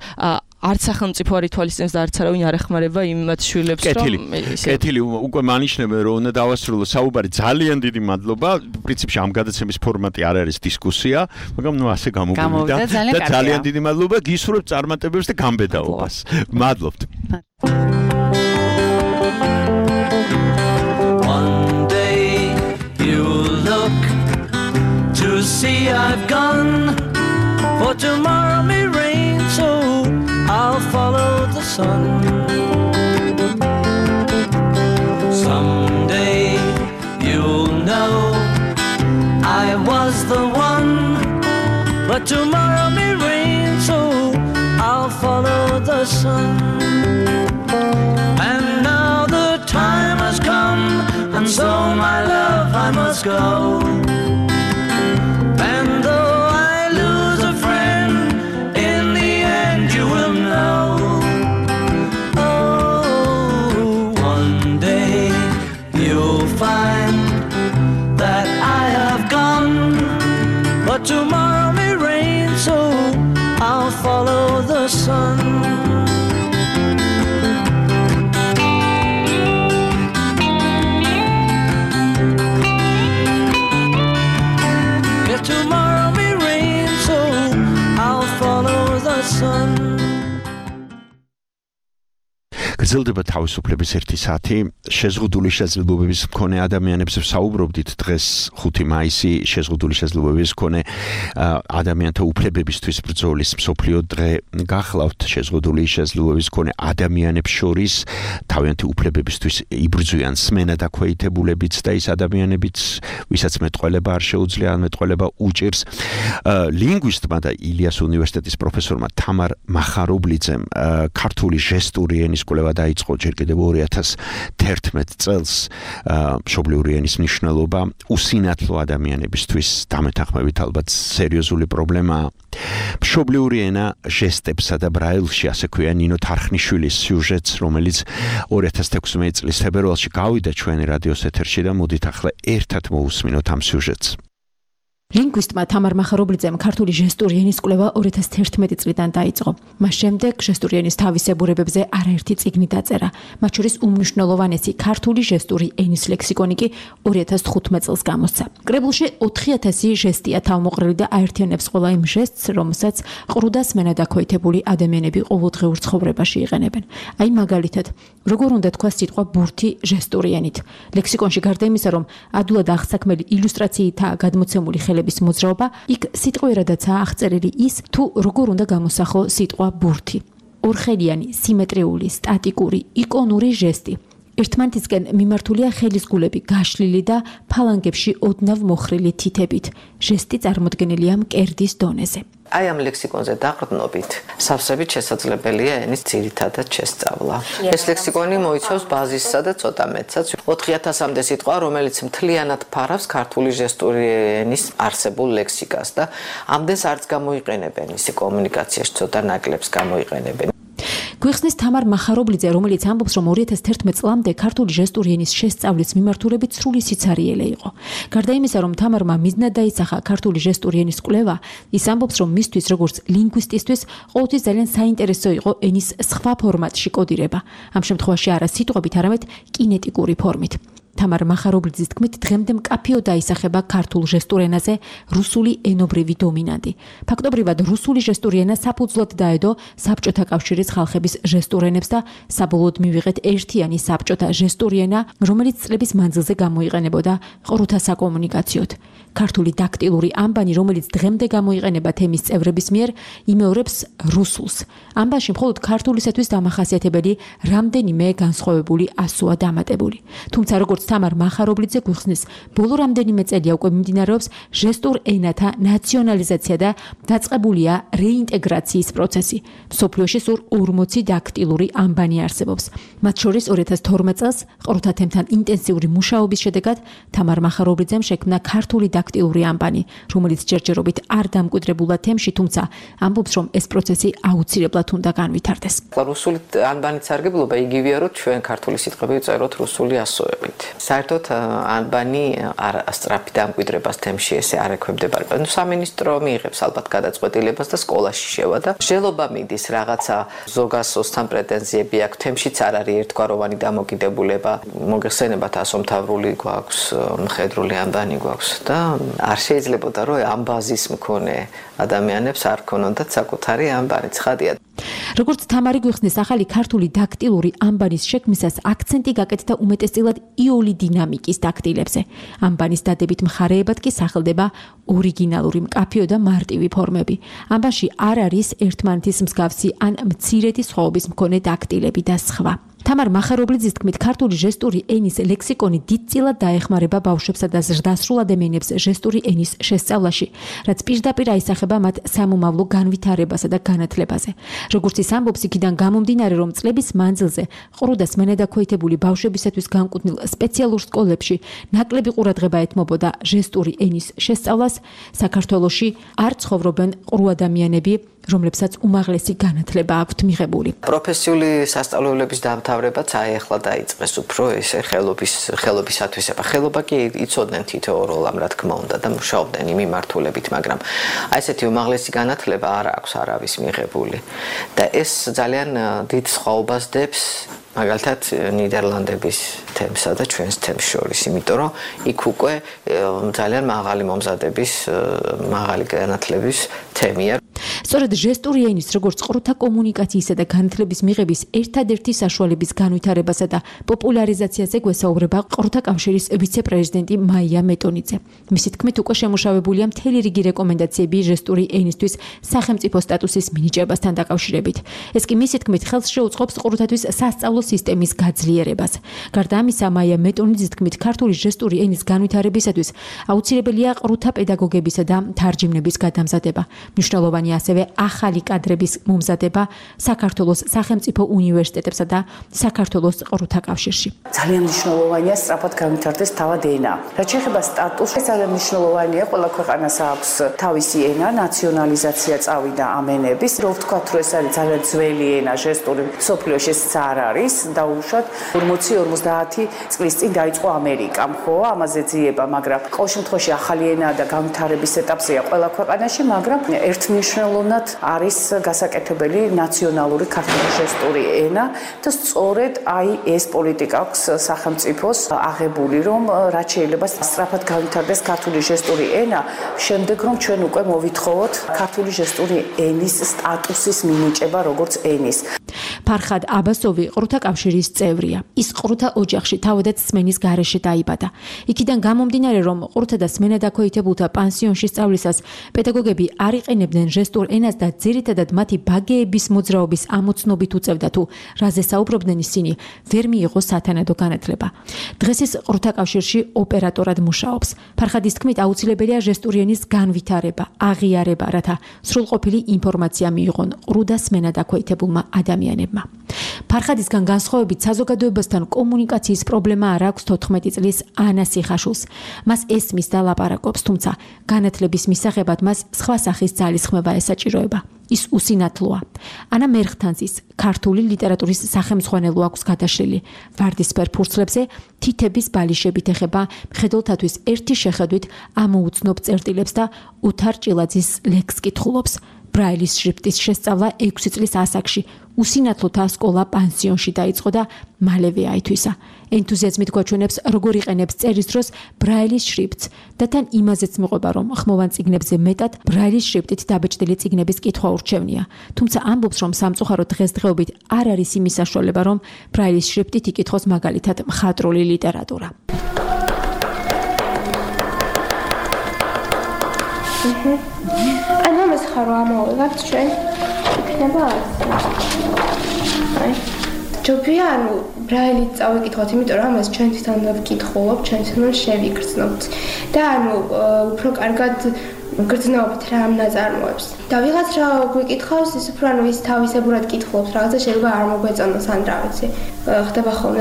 არც სახელმწიფო არ ითვალისწინებს და არც არავინ არ ეხმარება იმათ შვილებს, რომ კეთილი უკვე მანიშნებენ, რომ უნდა დავასრულო საუბარი. ძალიან დიდი მადლობა. პრინციპში ამ გადაცემის ფორმატი არ არის დისკუსია, მაგრამ ნუ ასე გამოვიდა და ძალიან დიდი მადლობა გისურვებთ წარმატებებს და გამბედაობას. მადლობთ. One day you look to see I've gone, for tomorrow may rain, so I'll follow the sun. Someday you'll know I was the one, but tomorrow may rain, so I'll follow the sun. And now the time has come, and so my love I must go. And though I lose a friend, in the end you will know. Oh, one day you'll find that I have gone, but tomorrow may rain, so I'll follow the sun. Tomorrow may rain, so I'll follow the sun. გრძელდება თავისუფლების ერთი საათი. შეზღუდული შესაძლებლობების მქონე ადამიანებს ვსაუბრობდით დღეს ხუთი მაისი შეზღუდული შესაძლებლობების მქონე ადამიანთა უფლებებისთვის ბრძოლის მსოფლიო დღე. გახლავთ შეზღუდული შესაძლებლობების მქონე ადამიანებს შორის თავიანთი უფლებებისთვის იბრძვიან სმენა დაქვეითებულებიც და ის ადამიანებიც, ვისაც მეტყველება არ შეუძლია, ან მეტყველება უჭირს. ლინგვისტმა და ილიას უნივერსიტეტის პროფესორმა თამარ მახარობლიძემ ქართული ჟესტური ენის კვლევა დაიწყო ჯერ კიდევ ორი ათას თერთმეტ წელს. მშობლიური ენის მნიშვნელობა უსინათლო ადამიანებისთვის დამეთანხმებით ალბათ სერიოზული პრობლემაა. მშობლიური ენა ჟესტებსა და ბრაილში, ასე ქვია ნინო თარხნიშვილის სიუჟეტს, რომელიც ორი ათას თექვსმეტი წლის თებერვალში გავიდა ჩვენი რადიოს ეთერში და მოდით ახლა ერთად მოусმინოთ ამ სიუჟეტს. ლინგვისტმა თამარ მახარობლიძემ ქართული ჟესტური ენის კვლევა ორი ათას თერთმეტი წლიდან დაიწყო. მას შემდეგ ჟესტური ენის თავისებურებებზე არაერთი წიგნი დაწერა. მათ შორის უმნიშვნელოვანესი ქართული ჟესტური ენის ლექსიკონი კი ორი ათას თხუთმეტ წელს გამოსცა. კრებულში ოთხი ათასი ჟესტია თავმოყრილი და აერთიანებს ყველა იმ ჟესტს, რომელსაც ყრუ და სმენა დაქვეითებული ადამიანები ყოველდღიურ ცხოვრებაში იყენებენ. აი მაგალითად, როგორ უნდა თქვა სიტყვა ბურთი ჟესტური ენით. ლექსიკონში გარდა იმისა, რომ ადვილად აღსაქმელი ილუსტრაციითაა გადმოცემული ხელები მოძრაობა, იქ სიტყვიერადაცაა აღწერილი ის, თუ როგორ უნდა გამოსახო სიტყვა ბურთი. ორხელიანი, სიმეტრიული, სტატიკური, იკონური ჟესტი. ერთმანეთისკენ მიმართულია ხელის გულები გაშლილი და ფალანგებში ოდნავ მოხრილი თითებით. ჟესტი წარმოდგენილია მკერდის დონეზე. აი ამ ლექსიკონზე დაყრდნობით სავსებით შესაძლებელია ენის ძირითადად შესწავლა. ეს ლექსიკონი მოიცავს ბაზისსა და ცოტა მეტსაც. ოთხი ათასამდე სიტყვა, რომელიც მთლიანად ფარავს ქართული ჟესტური ენის არსებულ ლექსიკას და ამდენს არც გამოიყენებენ ისი კომუნიკაციაში, ცოტა ნაკლებს გამოიყენებენ. გვიხსნის თამარ მახარობლიძე, რომელიც ამბობს, რომ ორი ათას თერთმეტ წლამდე ქართული ჟესტური ენის შესწავლის მიმართულებით სრული სიცარიელე იყო. გარდა იმისა, რომ თამარმა მიზნად დაისახა ქართული ჟესტური ენის კვლევა, ის ამბობს, რომ მისთვის როგორც ლინგვისტისთვის ყოველთვის ძალიან საინტერესო იყო ენის სხვა ფორმატში კოდირება. ამ შემთხვევაში არა სიტყვებით, არამედ კინეტიკური ფორმით. თამარ მახარობლიძის თქმით, დღემდე მკაფიო დაისახება ქართულ ჟესტურ ენაზე რუსული ენობრივი დომინანტი. ფაქტობრივად რუსული ჟესტური ენა საფუძვლად დაედო საბჭოთა კავშირის ხალხების ჟესტურ ენებს და საბოლოოდ მივიღეთ ერთიანი საბჭოთა ჟესტური ენა, რომელიც წლების მანძილზე გამოიყენებოდა ყრუთა საკომუნიკაციოდ. ქართული დაქტილური ამბანი, რომელიც დღემდე გამოიყენება თემის წევრების მიერ, იმეორებს რუსულს. ამბანში მხოლოდ ქართულისათვის დამახასიათებელი რამდენიმე განსხვავებული ასოა დამატებული. თუმცა როგორც თამარ მახარობლიძე გვიხსნის, ბოლო რამდენიმე წელია უკვე მიმდინარეობს ჟესტურ ენათა ნაციონალიზაცია და დაწყებულია რეინტეგრაციის პროცესი. მსოფლიოში სულ ორმოცი დაქტილური ამბანი არსებობს. მათ შორის ორი ათას თორმეტ წელს ყრუთა თემთან ინტენსიური მუშაობის შედეგად თამარ მახარობლიძემ შექმნა ქართული დაქტილური ამბანი, რომელიც ჯერჯერობით არ დამკვიდრებულა თემში, თუმცა ამბობს, რომ ეს პროცესი აუცილებლად უნდა განვითარდეს. რუსული ანბანის სარგებლობა იგივეა, რომ ჩვენ ქართული სიტყვები ვწეროთ რუსული ასოებით. საერთოდ ანბანი არ სწრაფი დამკვიდრებას თემში ესე არ ექვემდებარება. ნუ სამინისტრო მიიღებს ალბათ გადაწყვეტილებას და სკოლაში შევა და ჟელობა მიდის რაღაცა ზოგასოსთან პრეტენზიები აქვს, თემშიც არ არის ერთგვაროვანი დამოკიდებულება. მოგეხსენებათ ასომთავრული გვაქვს, მხედრული ანბანი გვაქვს და არ შეიძლებოდა რომ ამ ბაზის მქონე ადამიანებს არ ქონოდათ საკუთარი ანბანი. ცხადია. როგორც თამარი გვიხსნის, ახალი ქართული დაქტილური ანბანის შექმნისას აქცენტი გაკეთდა უმეტესწილად იული დინამიკის დაქტილებზე. ანბანის დადებით მხარეებად კი სახელდება ორიგინალური მკაფიო და მარტივი ფორმები. ანბანში არ არის ერთმანეთის მსგავსი ან მცირედი სხვაობის მქონე დაქტილები და სხვა. თამარ მახარობლიძის თქმით, ქართული ჟესტური ენის ლექსიკონი დიდწილად დაეხმარება ბავშვებსა და ზრდასრულ ადამიანებს ჟესტური ენის შესწავლაში, რაც პირდაპირ აისახება მათ სამომავლო განვითარებასა და განათლებაზე. როგორც ის ამბობს, იქიდან გამომდინარე, რომ წლების მანძილზე ყრუდას მენადაქვეითებული ბავშვებისათვის განკუთვნილ სპეციალურ სკოლებში ნაკლები ყურადღება ეთმობოდა ჟესტური ენის შესწავლას, საქართველოში არ ცხოვრობენ ყრუ ადამიანები, რომლებსაც უმაღლესი განათლება აქვთ მიღებული. პროფესიული სასწავლებლების დამთავრებაც აი ახლა დაიწყეს უფრო ესე ხელობის ხელობისათვის. ხელობა კი იცოდნენ თითოეულ ამ რა თქმა უნდა და მუშაობდნენ იმ მიმართულებით, მაგრამ აი ესეთი უმაღლესი განათლება არ აქვს არავის მიღებული. და ეს ძალიან დიდ სხვაობას დებს მაგალითად ნიდერლანდების თემსა და ჩვენს თემს შორის, იმიტომ რომ იქ უკვე ძალიან მაღალი მომზადების, მაღალი განათლების თემია. სწორედ ჟესტური ენის, როგორც ყრუთა კომუნიკაციისა და განათლების მიღების ერთადერთი საშუალების განვითარებასა და პოპულარიზაციაზე გვესაუბრება ყრუთა კავშირის ვიცე-პრეზიდენტი მაია მეტონიძე. მისი თქმით, უკვე შემუშავებულია მთელი რიგი რეკომენდაციები ჟესტური ენისთვის სახელმწიფო სტატუსის მინიჭებასთან დაკავშირებით. ეს კი მისი თქმით ხელს შეუწყობს ყრუთათვის სასწავლო სისტემის გაძლიერებას. გარდა ამისა, მაია მეტონიძის თქმით, ქართული ჟესტური ენის განვითარებისათვის აუცილებელია ყრუთა პედაგოგებისა და თარჯიმნების გადამზადება. მნიშვნელოვანი ასევე ახალი კადრების მომზადება საქართველოს სახელმწიფო უნივერსიტეტებსა და საქართველოს ყრუთა კავშირში. ძალიან მნიშვნელოვანია სწრაფად განვითარდეს თავად ენა. რაც შეეხება სტატუსს, ძალიან მნიშვნელოვანია, ყველა ქვეყანას აქვს თავისი ენა, ნაციონალიზაცია წავიდა ამ ენების. რო ვთქვათ, რომ ეს არის ძალიან ძველი ენა, ჟესტური მსოფლიოში ეს არ არის, დაუშვათ ორმოცი ორმოცდაათი წლის წინ დაიწყო ამერიკამ, ხო, ამაზე ძიება, მაგრამ ყოველ შემთხვევაში ახალი ენა და განვითარების ეტაპზეა ყველა ქვეყანაში, მაგრამ ერთმნიშვნელოვნად არის გასაკეთებელი ნაციონალური ქართული ჟესტური ენა და სწორედ აი ეს პოლიტიკა აქვს სახელმწიფოს აღებული, რომ რაც შეიძლება სწრაფად განვითარდეს ქართული ჟესტური ენა, შემდეგ რომ ჩვენ უკვე მოვითხოვოთ ქართული ჟესტური ენის სტატუსის მინიჭება როგორც ენის. ფარხად აბასოვი ყრუთა კავშირის წევრია. ის ყრუთა ოჯახში თავადაც სმენის გარეშე დაიბადა. იქიდან გამომდინარე, რომ ყრუთა და სმენადაქვეითებულთა პანსიონში სწავლისას პედაგოგები არ იყენებდნენ ჟესტურ ენას და ძირითადად მათი ბაგეების მოძრაობის ამოცნობით უწევდა თუ რაზე საუბრობდნენ ისინი, ვერ მიიღო სათანადო განათლება. დღეს ის ყრუთა კავშირში ოპერატორად მუშაობს. ფარხადის თქმით, აუცილებელია ჟესტური ენის განვითარება, აღიარება, რათა სრულყოფილი ინფორმაცია მიიღონ ყრუ და სმენადაქვეითებულმა ადამიანებმა. ფარხადისგან განსხვავებით საზოგადოებასთან კომუნიკაციის პრობლემა არ აქვს თოთხმეტი წლის ანა სიხაშულს. მას ესმის და ლაპარაკობს, თუმცა განათლების მისაღებად მას სხვა სახის ძალისხმევა ესაჭიროება. ის უსინათლოა. ანა მერხთანძის ქართული ლიტერატურის სახელმძღვანელო აქვს გადაშლილი. ვარდისფერ ფურცლებზე თითების ბალიშებით ეხება მხედველთათვის ერთი შეხედვით ამოუცნობ წერტილებს და უთარ ჭილაძის ლექს კითხულობს. ბრაილის შრიფტის შესწავლა ექვსი წლის ასაკში უსინათლოთა სკოლა პანსიონში დაიწყო და მალევე აითვისა. ენთუზიაზმით გვაჩვენებს, როგორ იყენებს წერის დროს ბრაილის შრიფტს და თან იმაზეც მიყვება, რომ ხმოვან წიგნებზე მეტად ბრაილის შრიფტით დაბეჭდილი წიგნების კითხვა ურჩევნია. თუმცა ამბობს, რომ სამწუხაროდ დღესდღეობით არ არის იმის საშუალება, რომ ბრაილის შრიფტით იკითხოს მაგალითად მხატვრული ლიტერატურა. ანუ ეს ხარო ამოვიღებთ ჩვენ იქნება აი ჯობია ანუ ბრაილით წავიკითხოთ, იმიტომ რომ ამას ჩვენ თვითონ ვკითხულობთ, ჩვენ თვითონ შევიგრძნობთ და ანუ უფრო კარგად გრძნობთ რა ამ ნაწარმოებს. და ვიღაც რა გვიკითხავს, ის უფრო ანუ ის თავისებურად კითხულობს, რაღაცა შეიძლება არ მოგვეწონოს ან რა ვიცი. ხდება ხოლმე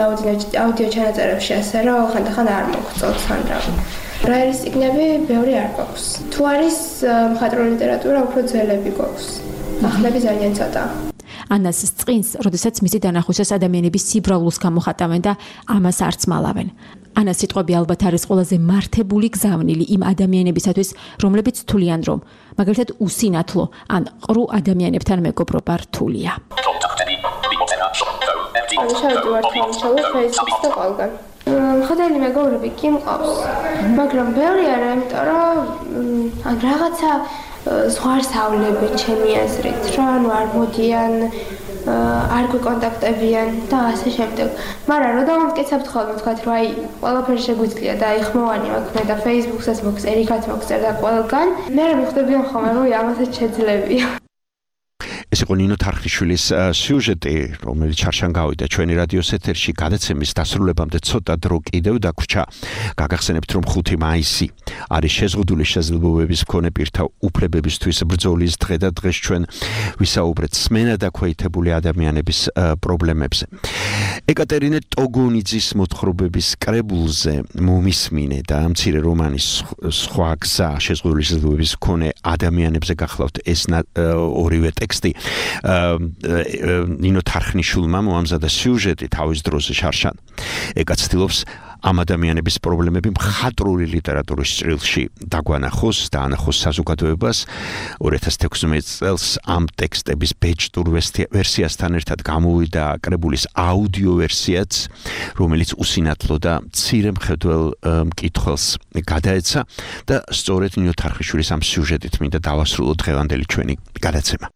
აუდიო ჩანაწერებში ასე, რომ ხანდახან არ მოგწონს ან რა. ბრაილის წიგნები ბევრი არ გვაქვს. თუ არის მხატვრული ლიტერატურა, უფრო ძველები გვაქვს. ახლები ძალიან ცოტა. ანას წყინს, როდესაც მისი დანახვისას ადამიანების სიბრავლულს გამოხატავენ და ამას არც მალავენ. ანას სიტყვები ალბათ არის ყველაზე მართებული გზავნილი იმ ადამიანებისათვის, რომლებიც თვლიან, რომ მაგალითად უსინათლო ან ყრუ ადამიანებთან მეგობრობა რთულია. ანუ შევდი ვარ თამაშობ Facebook-ს და ყველგან. ხოდელი მეგობრები კი მყავს, მაგრამ ბევრი არა, იმიტომ რომ ან რაღაცა ზღვარსავლები ჩემი აზრით, რომ ანუ არ მოდიან, არ გვიკონტაქტებიან და ასე შემდეგ. მაგრამ რა დამამტკიცებთ ხოლმე თქვათ, რომ აი ყველაფერი შეგვიძლია და აი ხმოვანი მაქვს და Facebook-საც მოქს, ერიკაც მოქს და ყველგან. მე რა მიხვდებიან ხოლმე, რომ ამასაც შეძლებია. ეს იყო ნინო თარხნიშვილის სიუჟეტი, რომელიც ჩარშან გავიდა ჩვენი რადიოს ეთერში გადაცემის დასრულებამდე ცოტა დრო კიდევ დაგვრჩა. გაგახსენებთ, რომ ხუთი მაისი არის შეზღუდული შესაძლებლობების მქონე პირთა უფლებებისთვის ბრძოლის დღე და დღეს ჩვენ ვისაუბრეთ სმენა დაქვეითებული ადამიანების პრობლემებზე. ეკატერინე ტოგონიძის მოთხრობების კრებულზე მომისმინე და მცირე რომანის სხვა გზა შეზღუდული შესაძლებლობების მქონე ადამიანებზე გახლავთ ეს ორივე ტექსტი. ნინო თარხნიშვილმა მოამზადა სიუჟეტი თავის დროზე შარშან. ეკა ცდილობს ამ ადამიანების პრობლემები მხატვრული ლიტერატურის ჭრილში დაგვანახოს და ანახოს საზოგადოებას. ორი ათას თექვსმეტ წელს ამ ტექსტების ბეჭდურ ვერსიასთან ერთად გამოვიდა კრებულის აუდიო ვერსიაც, რომელიც უსინათლო და მცირე მხედველ მკითხველს გადაეცა და სწორედ ნინო თარხნიშვილის ამ სიუჟეტით მინდა დავასრულოთ დღევანდელი ჩვენი გადაცემა.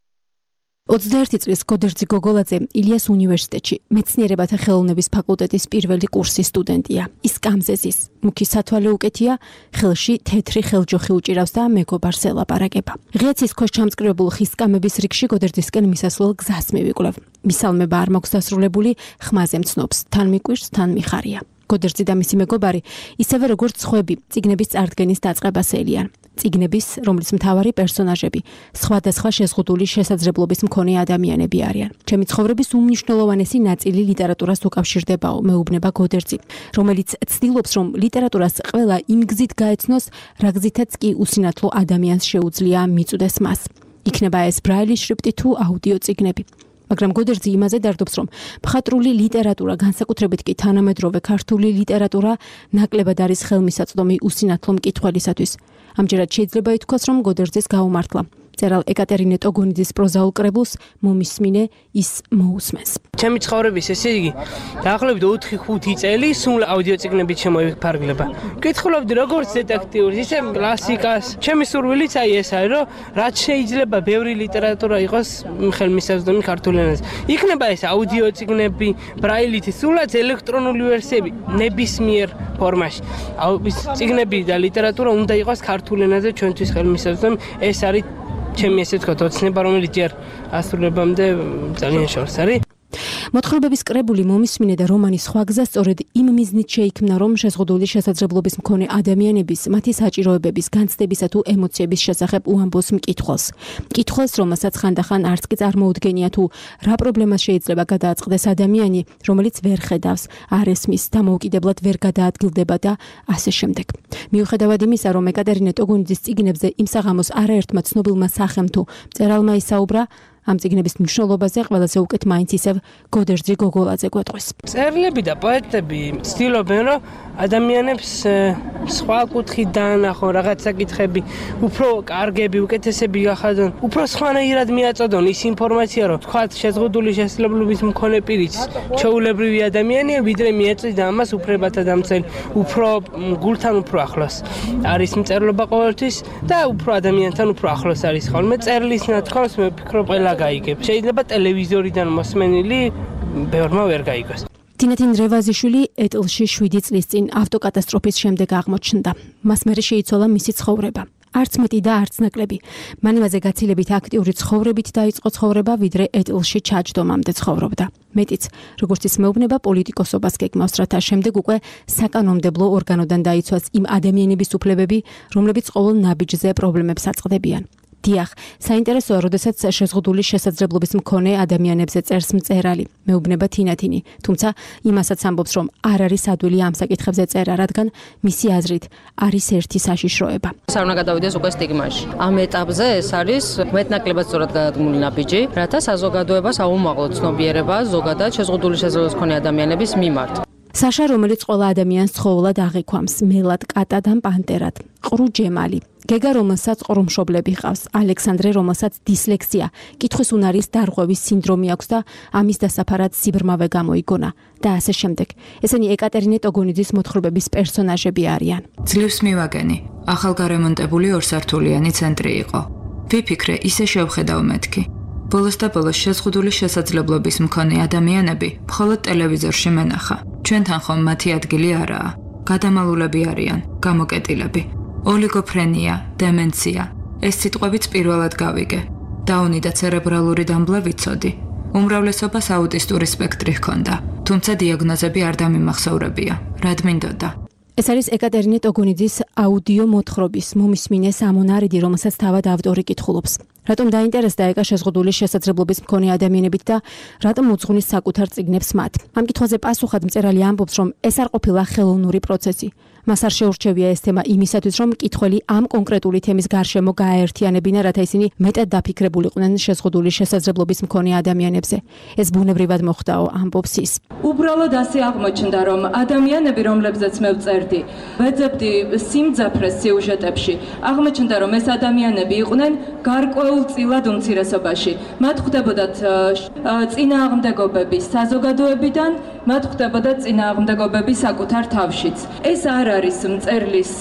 ოცდაერთი წლის გოდერძი გოგოლაძე ილიას უნივერსიტეტში მეცნიერებათა ხელოვნების ფაკულტეტის პირველი კურსის სტუდენტია. ის კამზეზის, მუქი სათვალე უკეთია, ხელში თეთრი ხელჯოხი უჭირავს და მეგობარს ელაპარაკება. ღიაცის ქვეშ ჩამწკრივებულ ხის კამების რიგში გოდერძისკენ მისასვლელ გზას მივიკვლევ. მისალმება არ მაქვს დასრულებული, ხმაზე მცნობს, თან მიკვირს, თან მიხარია. გოდერძი და მისი მეგობარი, ისევე როგორც სხვები, წიგნების წარდგენის დაწყებას ელიან. წიგნების, რომლის მთავარი პერსონაჟები სხვადასხვა შეზღუდული შესაძლებლობის მქონე ადამიანები არიან. ჩემი ცხოვრების უმნიშვნელოვანესი ნაწილი ლიტერატურას უკავშირდებაო, მეუბნება გოდერძი, რომელიც ცდილობს, რომ ლიტერატურას ყველა იმ გზით გაეცნოს, რა გზითაც კი უსინათლო ადამიანს შეუძლია მიწვდეს მას. იქნება ეს ბრაილის შრიფტი თუ აუდიო წიგნები. მაგრამ გოდერძი იმაზე დარდობს, რომ მხატვრული ლიტერატურა, განსაკუთრებით კი თანამედროვე ქართული ლიტერატურა, ნაკლებად არის ხელმისაწვდომი უსინათლო მკითხველისათვის. ამჯერად შეიძლება ითქვას, რომ გოდერძის გაუმართლა. წერალ ეკატერინე ტოგონიძის პროზაულ კრებულს მომისმინე ის მოусმენს. ჩემი ცხოვრების ესე იგი დაახლოებით ოთხი ხუთი წელი სულ აუდიო წიგნებით შემოიფარგლება. ვკითხულობდი როგორც დეტექტიურს, ისე კლასიკას. ჩემი სურვილიც აი ეს არის, რომ რაც შეიძლება ბევრი ლიტერატურა იყოს ხელმისაწვდომი ქართულ ენაზე. იქნება ეს აუდიო წიგნები, ბრაილით, სულაც ელექტრონული ვერსიები ნებისმიერ ფორმაში. ის წიგნები და ლიტერატურა უნდა იყოს ქართულ ენაზე ჩვენთვის ხელმისაწვდომი. ეს არის ჩემი ესე ვთქვათ, ოცნება, რომელიც ჯერ ასრულებამდე ძალიან შორს არის. მოთხრობების კრებული მომისმინე და რომანის სხვა გზა სწორედ იმ მიზნით შეიქმნა, რომ შეზღუდული შესაძლებლობის მქონე ადამიანების, მათი საჭიროებების, განცდებისა თუ ემოციების შესახებ უამბოს მკითხველს. მკითხველს, რომელსაც ხანდახან არც კი წარმოუდგენია თუ რა პრობლემას შეიძლება გადააწყდეს ადამიანი, რომელიც ვერ ხედავს, არ ესმის, დამოუკიდებლად ვერ გადაადგილდება და ასე შემდეგ. მიუხედავად იმისა, რომ ეკატერინე ტოგონიძის წიგნებზე იმ საღამოს არაერთმა ცნობილმა სახემ თუ მწერალმა ისაუბრა, ამ წიგნების მნიშვნელობაზე ყველაზე უკეთ მაინც ისევ გოდერძი გოგოლაძე გვეტყვის. წერილები და პოეტები ცდილობენ, რომ ადამიანებს სხვა კუთხით დაანახონ რაღაც საკითხები, უფრო კარგები, უკეთესები გახადონ, უფრო სხვანაირად მიაწოდონ ის ინფორმაცია, რომ თქვათ შეზღუდული შესაძლებლობის მქონე პირიც ჩვეულებრივი ადამიანია, ვიდრე მიეწვიდა ამას უფლებათა დამცველი, უფრო გულთან უფრო ახლოს არის მწერლობა ყოველთვის და უფრო ადამიანთან უფრო ახლოს არის ხოლმე. წერლის ნათქვამს მე ვფიქრობ ყველა გაიგებ. შეიძლება ტელევიზორიდან მოსმენილი ბევრმა ვერ გაიგოს. თინათინ რევაზიშვილი ეტლში შვიდი წლის წინ ავტოკატასტროფის შემდეგ აღმოჩნდა. მას მერე შეიცვალა მისი ცხოვრება. არც მეტი და არც ნაკლები. მანივაზე გაცილებით აქტიური ცხოვრებით დაიწყო ცხოვრება, ვიდრე ეტლში ჩაჯდომამდე ცხოვრობდა. მეტიც, როგორც ის მეუბნება, პოლიტიკოსობას გეგმავს, რათა შემდეგ უკვე საკანონმდებლო ორგანოდან დაიცვას იმ ადამიანების უფლებები, რომლებიც ყოველ ნაბიჯზე პრობლემებს აწყდებიან. დიახ, საინტერესოა, როდესაც შეზღუდული შესაძლებლობის მქონე ადამიანებზე წერს მწერალი, მეუბნება თინათინი, თუმცა იმასაც ამბობს, რომ არ არის ადვილი ამ საკითხებზე წერა, რადგან მისი აზრით არის ერთი საშიშროება. არ უნდა გადავიდეს უკვე სტიგმაში. ამ ეტაპზე ეს არის მეტნაკლებად სწორად გადადგმული ნაბიჯი, რათა საზოგადოებას აუმაღლოს ცნობიერება ზოგადად შეზღუდული შესაძლებლობის მქონე ადამიანების მიმართ. საშა, რომელიც ყველა ადამიანს ცხოველად აღიქვამს, მელად, კატად ან პანტერად, ყრუ ჯემალი, გეგა, რომელსაც ყრუმშობლები ჰყავს, ალექსანდრე, რომელსაც დისლექსია, კითხვის უნარის დარღვევის სინდრომი აქვს და ამის დასაფარად სიბრმავე გამოიგონა და ასე შემდეგ. ესენი ეკატერინე ტოგონიძის მოთხრობების პერსონაჟები არიან. ძლივს მივაგენი, ახალგარემონტებული ორსართულიანი ცენტრი იყო. ვიფიქრე, ისე შევხედავ მეთქი. ბოლოს და ბოლოს შეზღუდული შესაძლებლობის მქონე ადამიანები მხოლოდ ტელევიზორში მენახა. ჩვენთან ხომ მათი ადგილი არაა. გადამალულები არიან, გამოკეტილები. ოლიგოფრენია, დემენცია. ეს სიტყვებიც პირველად გავიგე. დაუნი და ცერებრალური დამბლა ვიცოდი. უმრავლესობას აუტისტური სპექტრი ჰქონდა, თუმცა დიაგნოზები არ დამიმახსოვრებია. რად მინდოდა? ეს არის ეკატერინე ტოგონიძის აუდიო მოთხრობის მომისმინე სამონარიდი, რომელსაც თავად ავტორი კითხულობს. რატომ დაინტერესდა ეკა შეზღუდული შესაძლებლობის მქონე ადამიანებით და რატომ უძღვნის საკუთარ წიგნებს მათ? ამ კითხვაზე პასუხად მწერალი ამბობს, რომ ეს არ ყოფილა ხელოვნური პროცესი. მას არ შეურჩევია ეს თემა იმისათვის, რომ მკითხველი ამ კონკრეტული თემის გარშემო გააერთიანებინა, რათა ისინი მეტად დაფიქრებულიყვნენ შეზღუდული შესაძლებლობის მქონე ადამიანებზე. ეს ბუნებრივად მოხდაო, ამბობს ის. უბრალოდ ასე აღმოჩნდა, რომ ადამიანები, რომლებზეც მე ვწერდი, ვეძებდი სიმძაფრეს სიუჟეტებში, აღმოჩნდა, რომ ეს ადამიანები იყვნენ გარკვეულწილად უმცირესობაში. მათ ხვდებოდათ წინააღმდეგობები საზოგადოებიდან, მათ ხვდებოდათ წინააღმდეგობები საკუთარ თავშიც. ეს არ არის მწერლის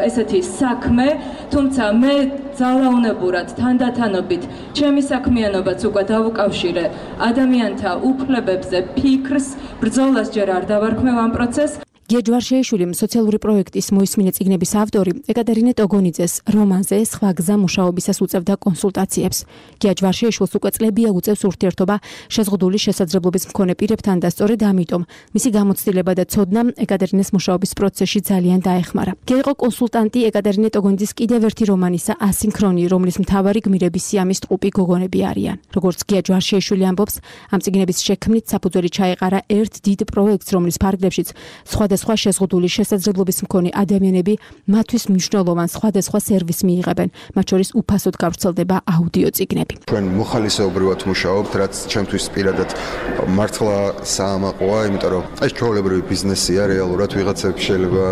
ესეთი საქმე, თუმცა მე ძალაუნებურად თანდათანობით ჩემი საქმიანობაც უკვე დავუკავშირე ადამიანთა უფლებებზე ფიქრს, ბრძოლას ჯერ არ დავარქმევ ამ პროცესს. გია ჯვარშიაშვილი, სოციალური პროექტის მოისმინე წიგნების ავტორი, ეკატერინე ტოგონიძეს რომანზე სხვა გზა მუშაობისას უწევდა კონსულტაციებს. გია ჯვარშიაშვილს უკვე წლებია უწევს ურთიერთობა შეზღუდული შესაძლებლობის მქონე პირებთან და სწორედ ამიტომ მისი გამოცდილება და ცოდნა ეკატერინეს მუშაობის პროცესში ძალიან დაეხმარა. გია იყო კონსულტანტი ეკატერინე ტოგონიძის კიდევ ერთი რომანისა ასინქრონი, რომლის მთავარი გმირები სიამის ტყუპი გოგონები არიან. როგორც გია ჯვარშიაშვილი ამბობს, ამ წიგნების შექმნით საფუძველი ჩაეყარა ერთ დიდ პროექტს, რომლის ფარგლებშიც სხვა სხვა შეზღუდული შესაძლებლობის მქონე ადამიანები მათთვის მნიშვნელოვან სხვადასხვა სერვისს მიიღებენ, მათ შორის უფასოდ გავრცელდება აუდიო წიგნები. ჩვენ მოხალისეობრივად მუშაობთ, რაც ჩემთვის პირადად მართლა საამაყოა, იმიტომ რომ ეს ჩვეულებრივი ბიზნესია, რეალურად ვიღაცები შეიძლება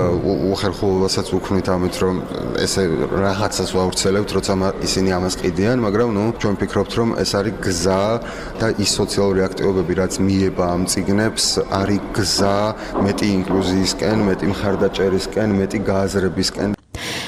უხერხულობასაც უქმნით ამით, რომ ესე რაღაცას ვავრცელებთ, როცა ისინი ამას ყიდიან, მაგრამ ნუ ჩვენ ვფიქრობთ, რომ ეს არის გზა და ის სოციალური აქტივობები, რაც მიება ამ წიგნებს, არის გზა მეტი ინკლუზია ისკენ, მეტი მხარდაჭერისკენ, მეტი გააზრებისკენ.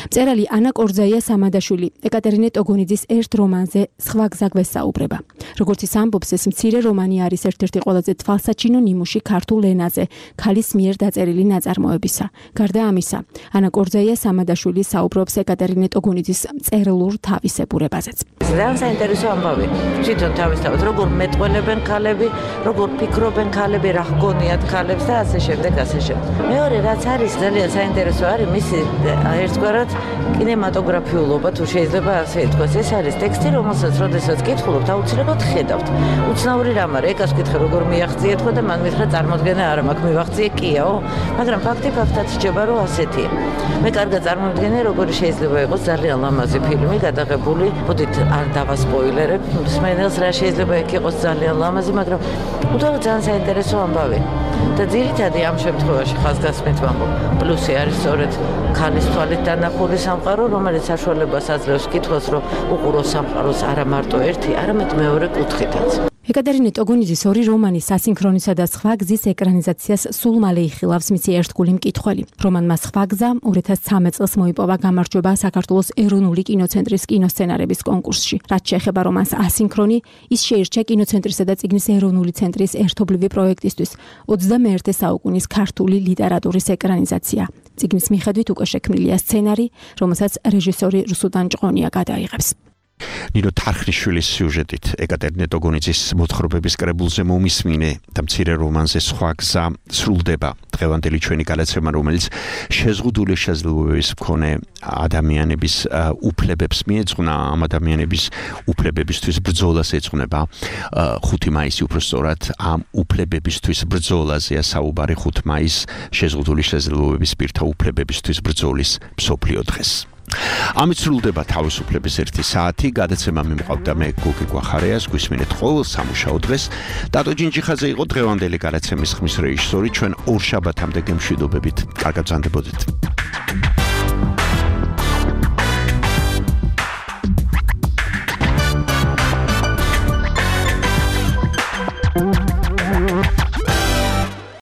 მწერალი ანა კორძაია სამადაშვილი ეკატერინე ტოგონიძის ერთ რომანზე სხვა გზა გვესაუბრება. როგორც ის ამბობს, ეს მცირე რომანი არის ერთ-ერთი ყველაზე თვალსაჩინო ნიმუში ქართულ ენაზე, ქალის მიერ დაწერილი ნაწარმოებისა. გარდა ამისა, ანა კორძაია სამადაშვილი საუბრობს ეკატერინე ტოგონიძის მწერლურ თავისებურებაზეც. ძალიან საინტერესო ამბავი. თვითონ თავისთავად როგორ მეტყველებენ ქალები, როგორ ფიქრობენ ქალები, რა ჰგონიათ ქალებს და ასე შემდეგ, ასე შემდეგ. მეორე რაც არის ძალიან საინტერესო არის მისი ერთგვარად კინემატოგრაფიულობა, თუ შეიძლება ასე ითქვას. ეს არის ტექსტი, რომელსაც როდესაც კითხულობთ, აუცილებლად ხედავთ. უცნაური რამ არის, ეკას კითხე როგორ მიაღწიეთ ხო და მან მითხრა წარმოდგენა არა მაქვს, მივაღწიე კიაო, მაგრამ ფაქტი ფაქტად რჩება, რომ ასეთია. მე კარგად წარმოვიდგენე, როგორი შეიძლება იყოს ძალიან ლამაზი ფილმი, გადაღებული, მოდით არ დავასპოილერებ, მსმენელს რა შეიძლება იქ იყოს ძალიან ლამაზი, მაგრამ უდავოდ ძალიან საინტერესო ამბავი. და ძირითადად ამ შემთხვევაში ხაზგასმით ვამბობ, პლუსი არის სწორედ ქალის თვალით დანახული სამყარო, რომელიც საშუალებას აძლევს კითხვას, რომ უყუროს სამყაროს არა მარტო ერთი, არამედ მეორე კუთხითაც. ეკატერინე ტოგონიძის ორი რომანი სასინქრონისა და სხვა გზის ეკრანიზაციას სულ მალე იხილავს მისი ერთგული მკითხველი. რომანმა სხვა გზა ორი ათას ცხრამეტ წელს მოიპოვა გამარჯვება საქართველოს ეროვნული კინოცენტრის კინოსცენარების კონკურსში. რაც შეეხება რომანს ასინქრონი, ის შეირჩა კინოცენტრისა და წიგნის ეროვნული ცენტრის ერთობლივი პროექტისთვის ოცდამეერთე საუკუნის ქართული ლიტერატურის ეკრანიზაცია. წიგნის მიხედვით უკვე შექმნილია სცენარი, რომელსაც რეჟისორი რუსუდან ჭყონია გადაიღებს. ნინო თარხნიშვილის სიუჟეტით ეკატერინე ტოგონიძის მოთხრობების კრებულზე მომისმინე და მცირე რომანზე სხვა გზა სრულდება დღევანდელი ჩვენი გადაცემა, რომელიც შეზღუდული შესაძლებლობების მქონე ადამიანების უფლებებს მიეძღვნა, ამ ადამიანების უფლებებისთვის ბრძოლას ეძღვნება. ხუთი მაისი უბრალოდ ამ უფლებებისთვის ბრძოლაზეა საუბარი ხუთი მაისი შეზღუდული შესაძლებლობების პირთა უფლებებისთვის ბრძოლის მსოფლიო დღეს. ამით სრულდება თავისუფლების ერთი საათი, გადაცემა მიმყავდა მე გოგი გვახარიას, გვისმინეთ ყოველ სამუშაო დღეს. დატო ჯინჯიხაძე იყო დღევანდელი გადაცემის ხმის რეჟისორი, ჩვენ ორ შაბათამდე გემშვიდობებით. კარგად ბრძანდებოდეთ.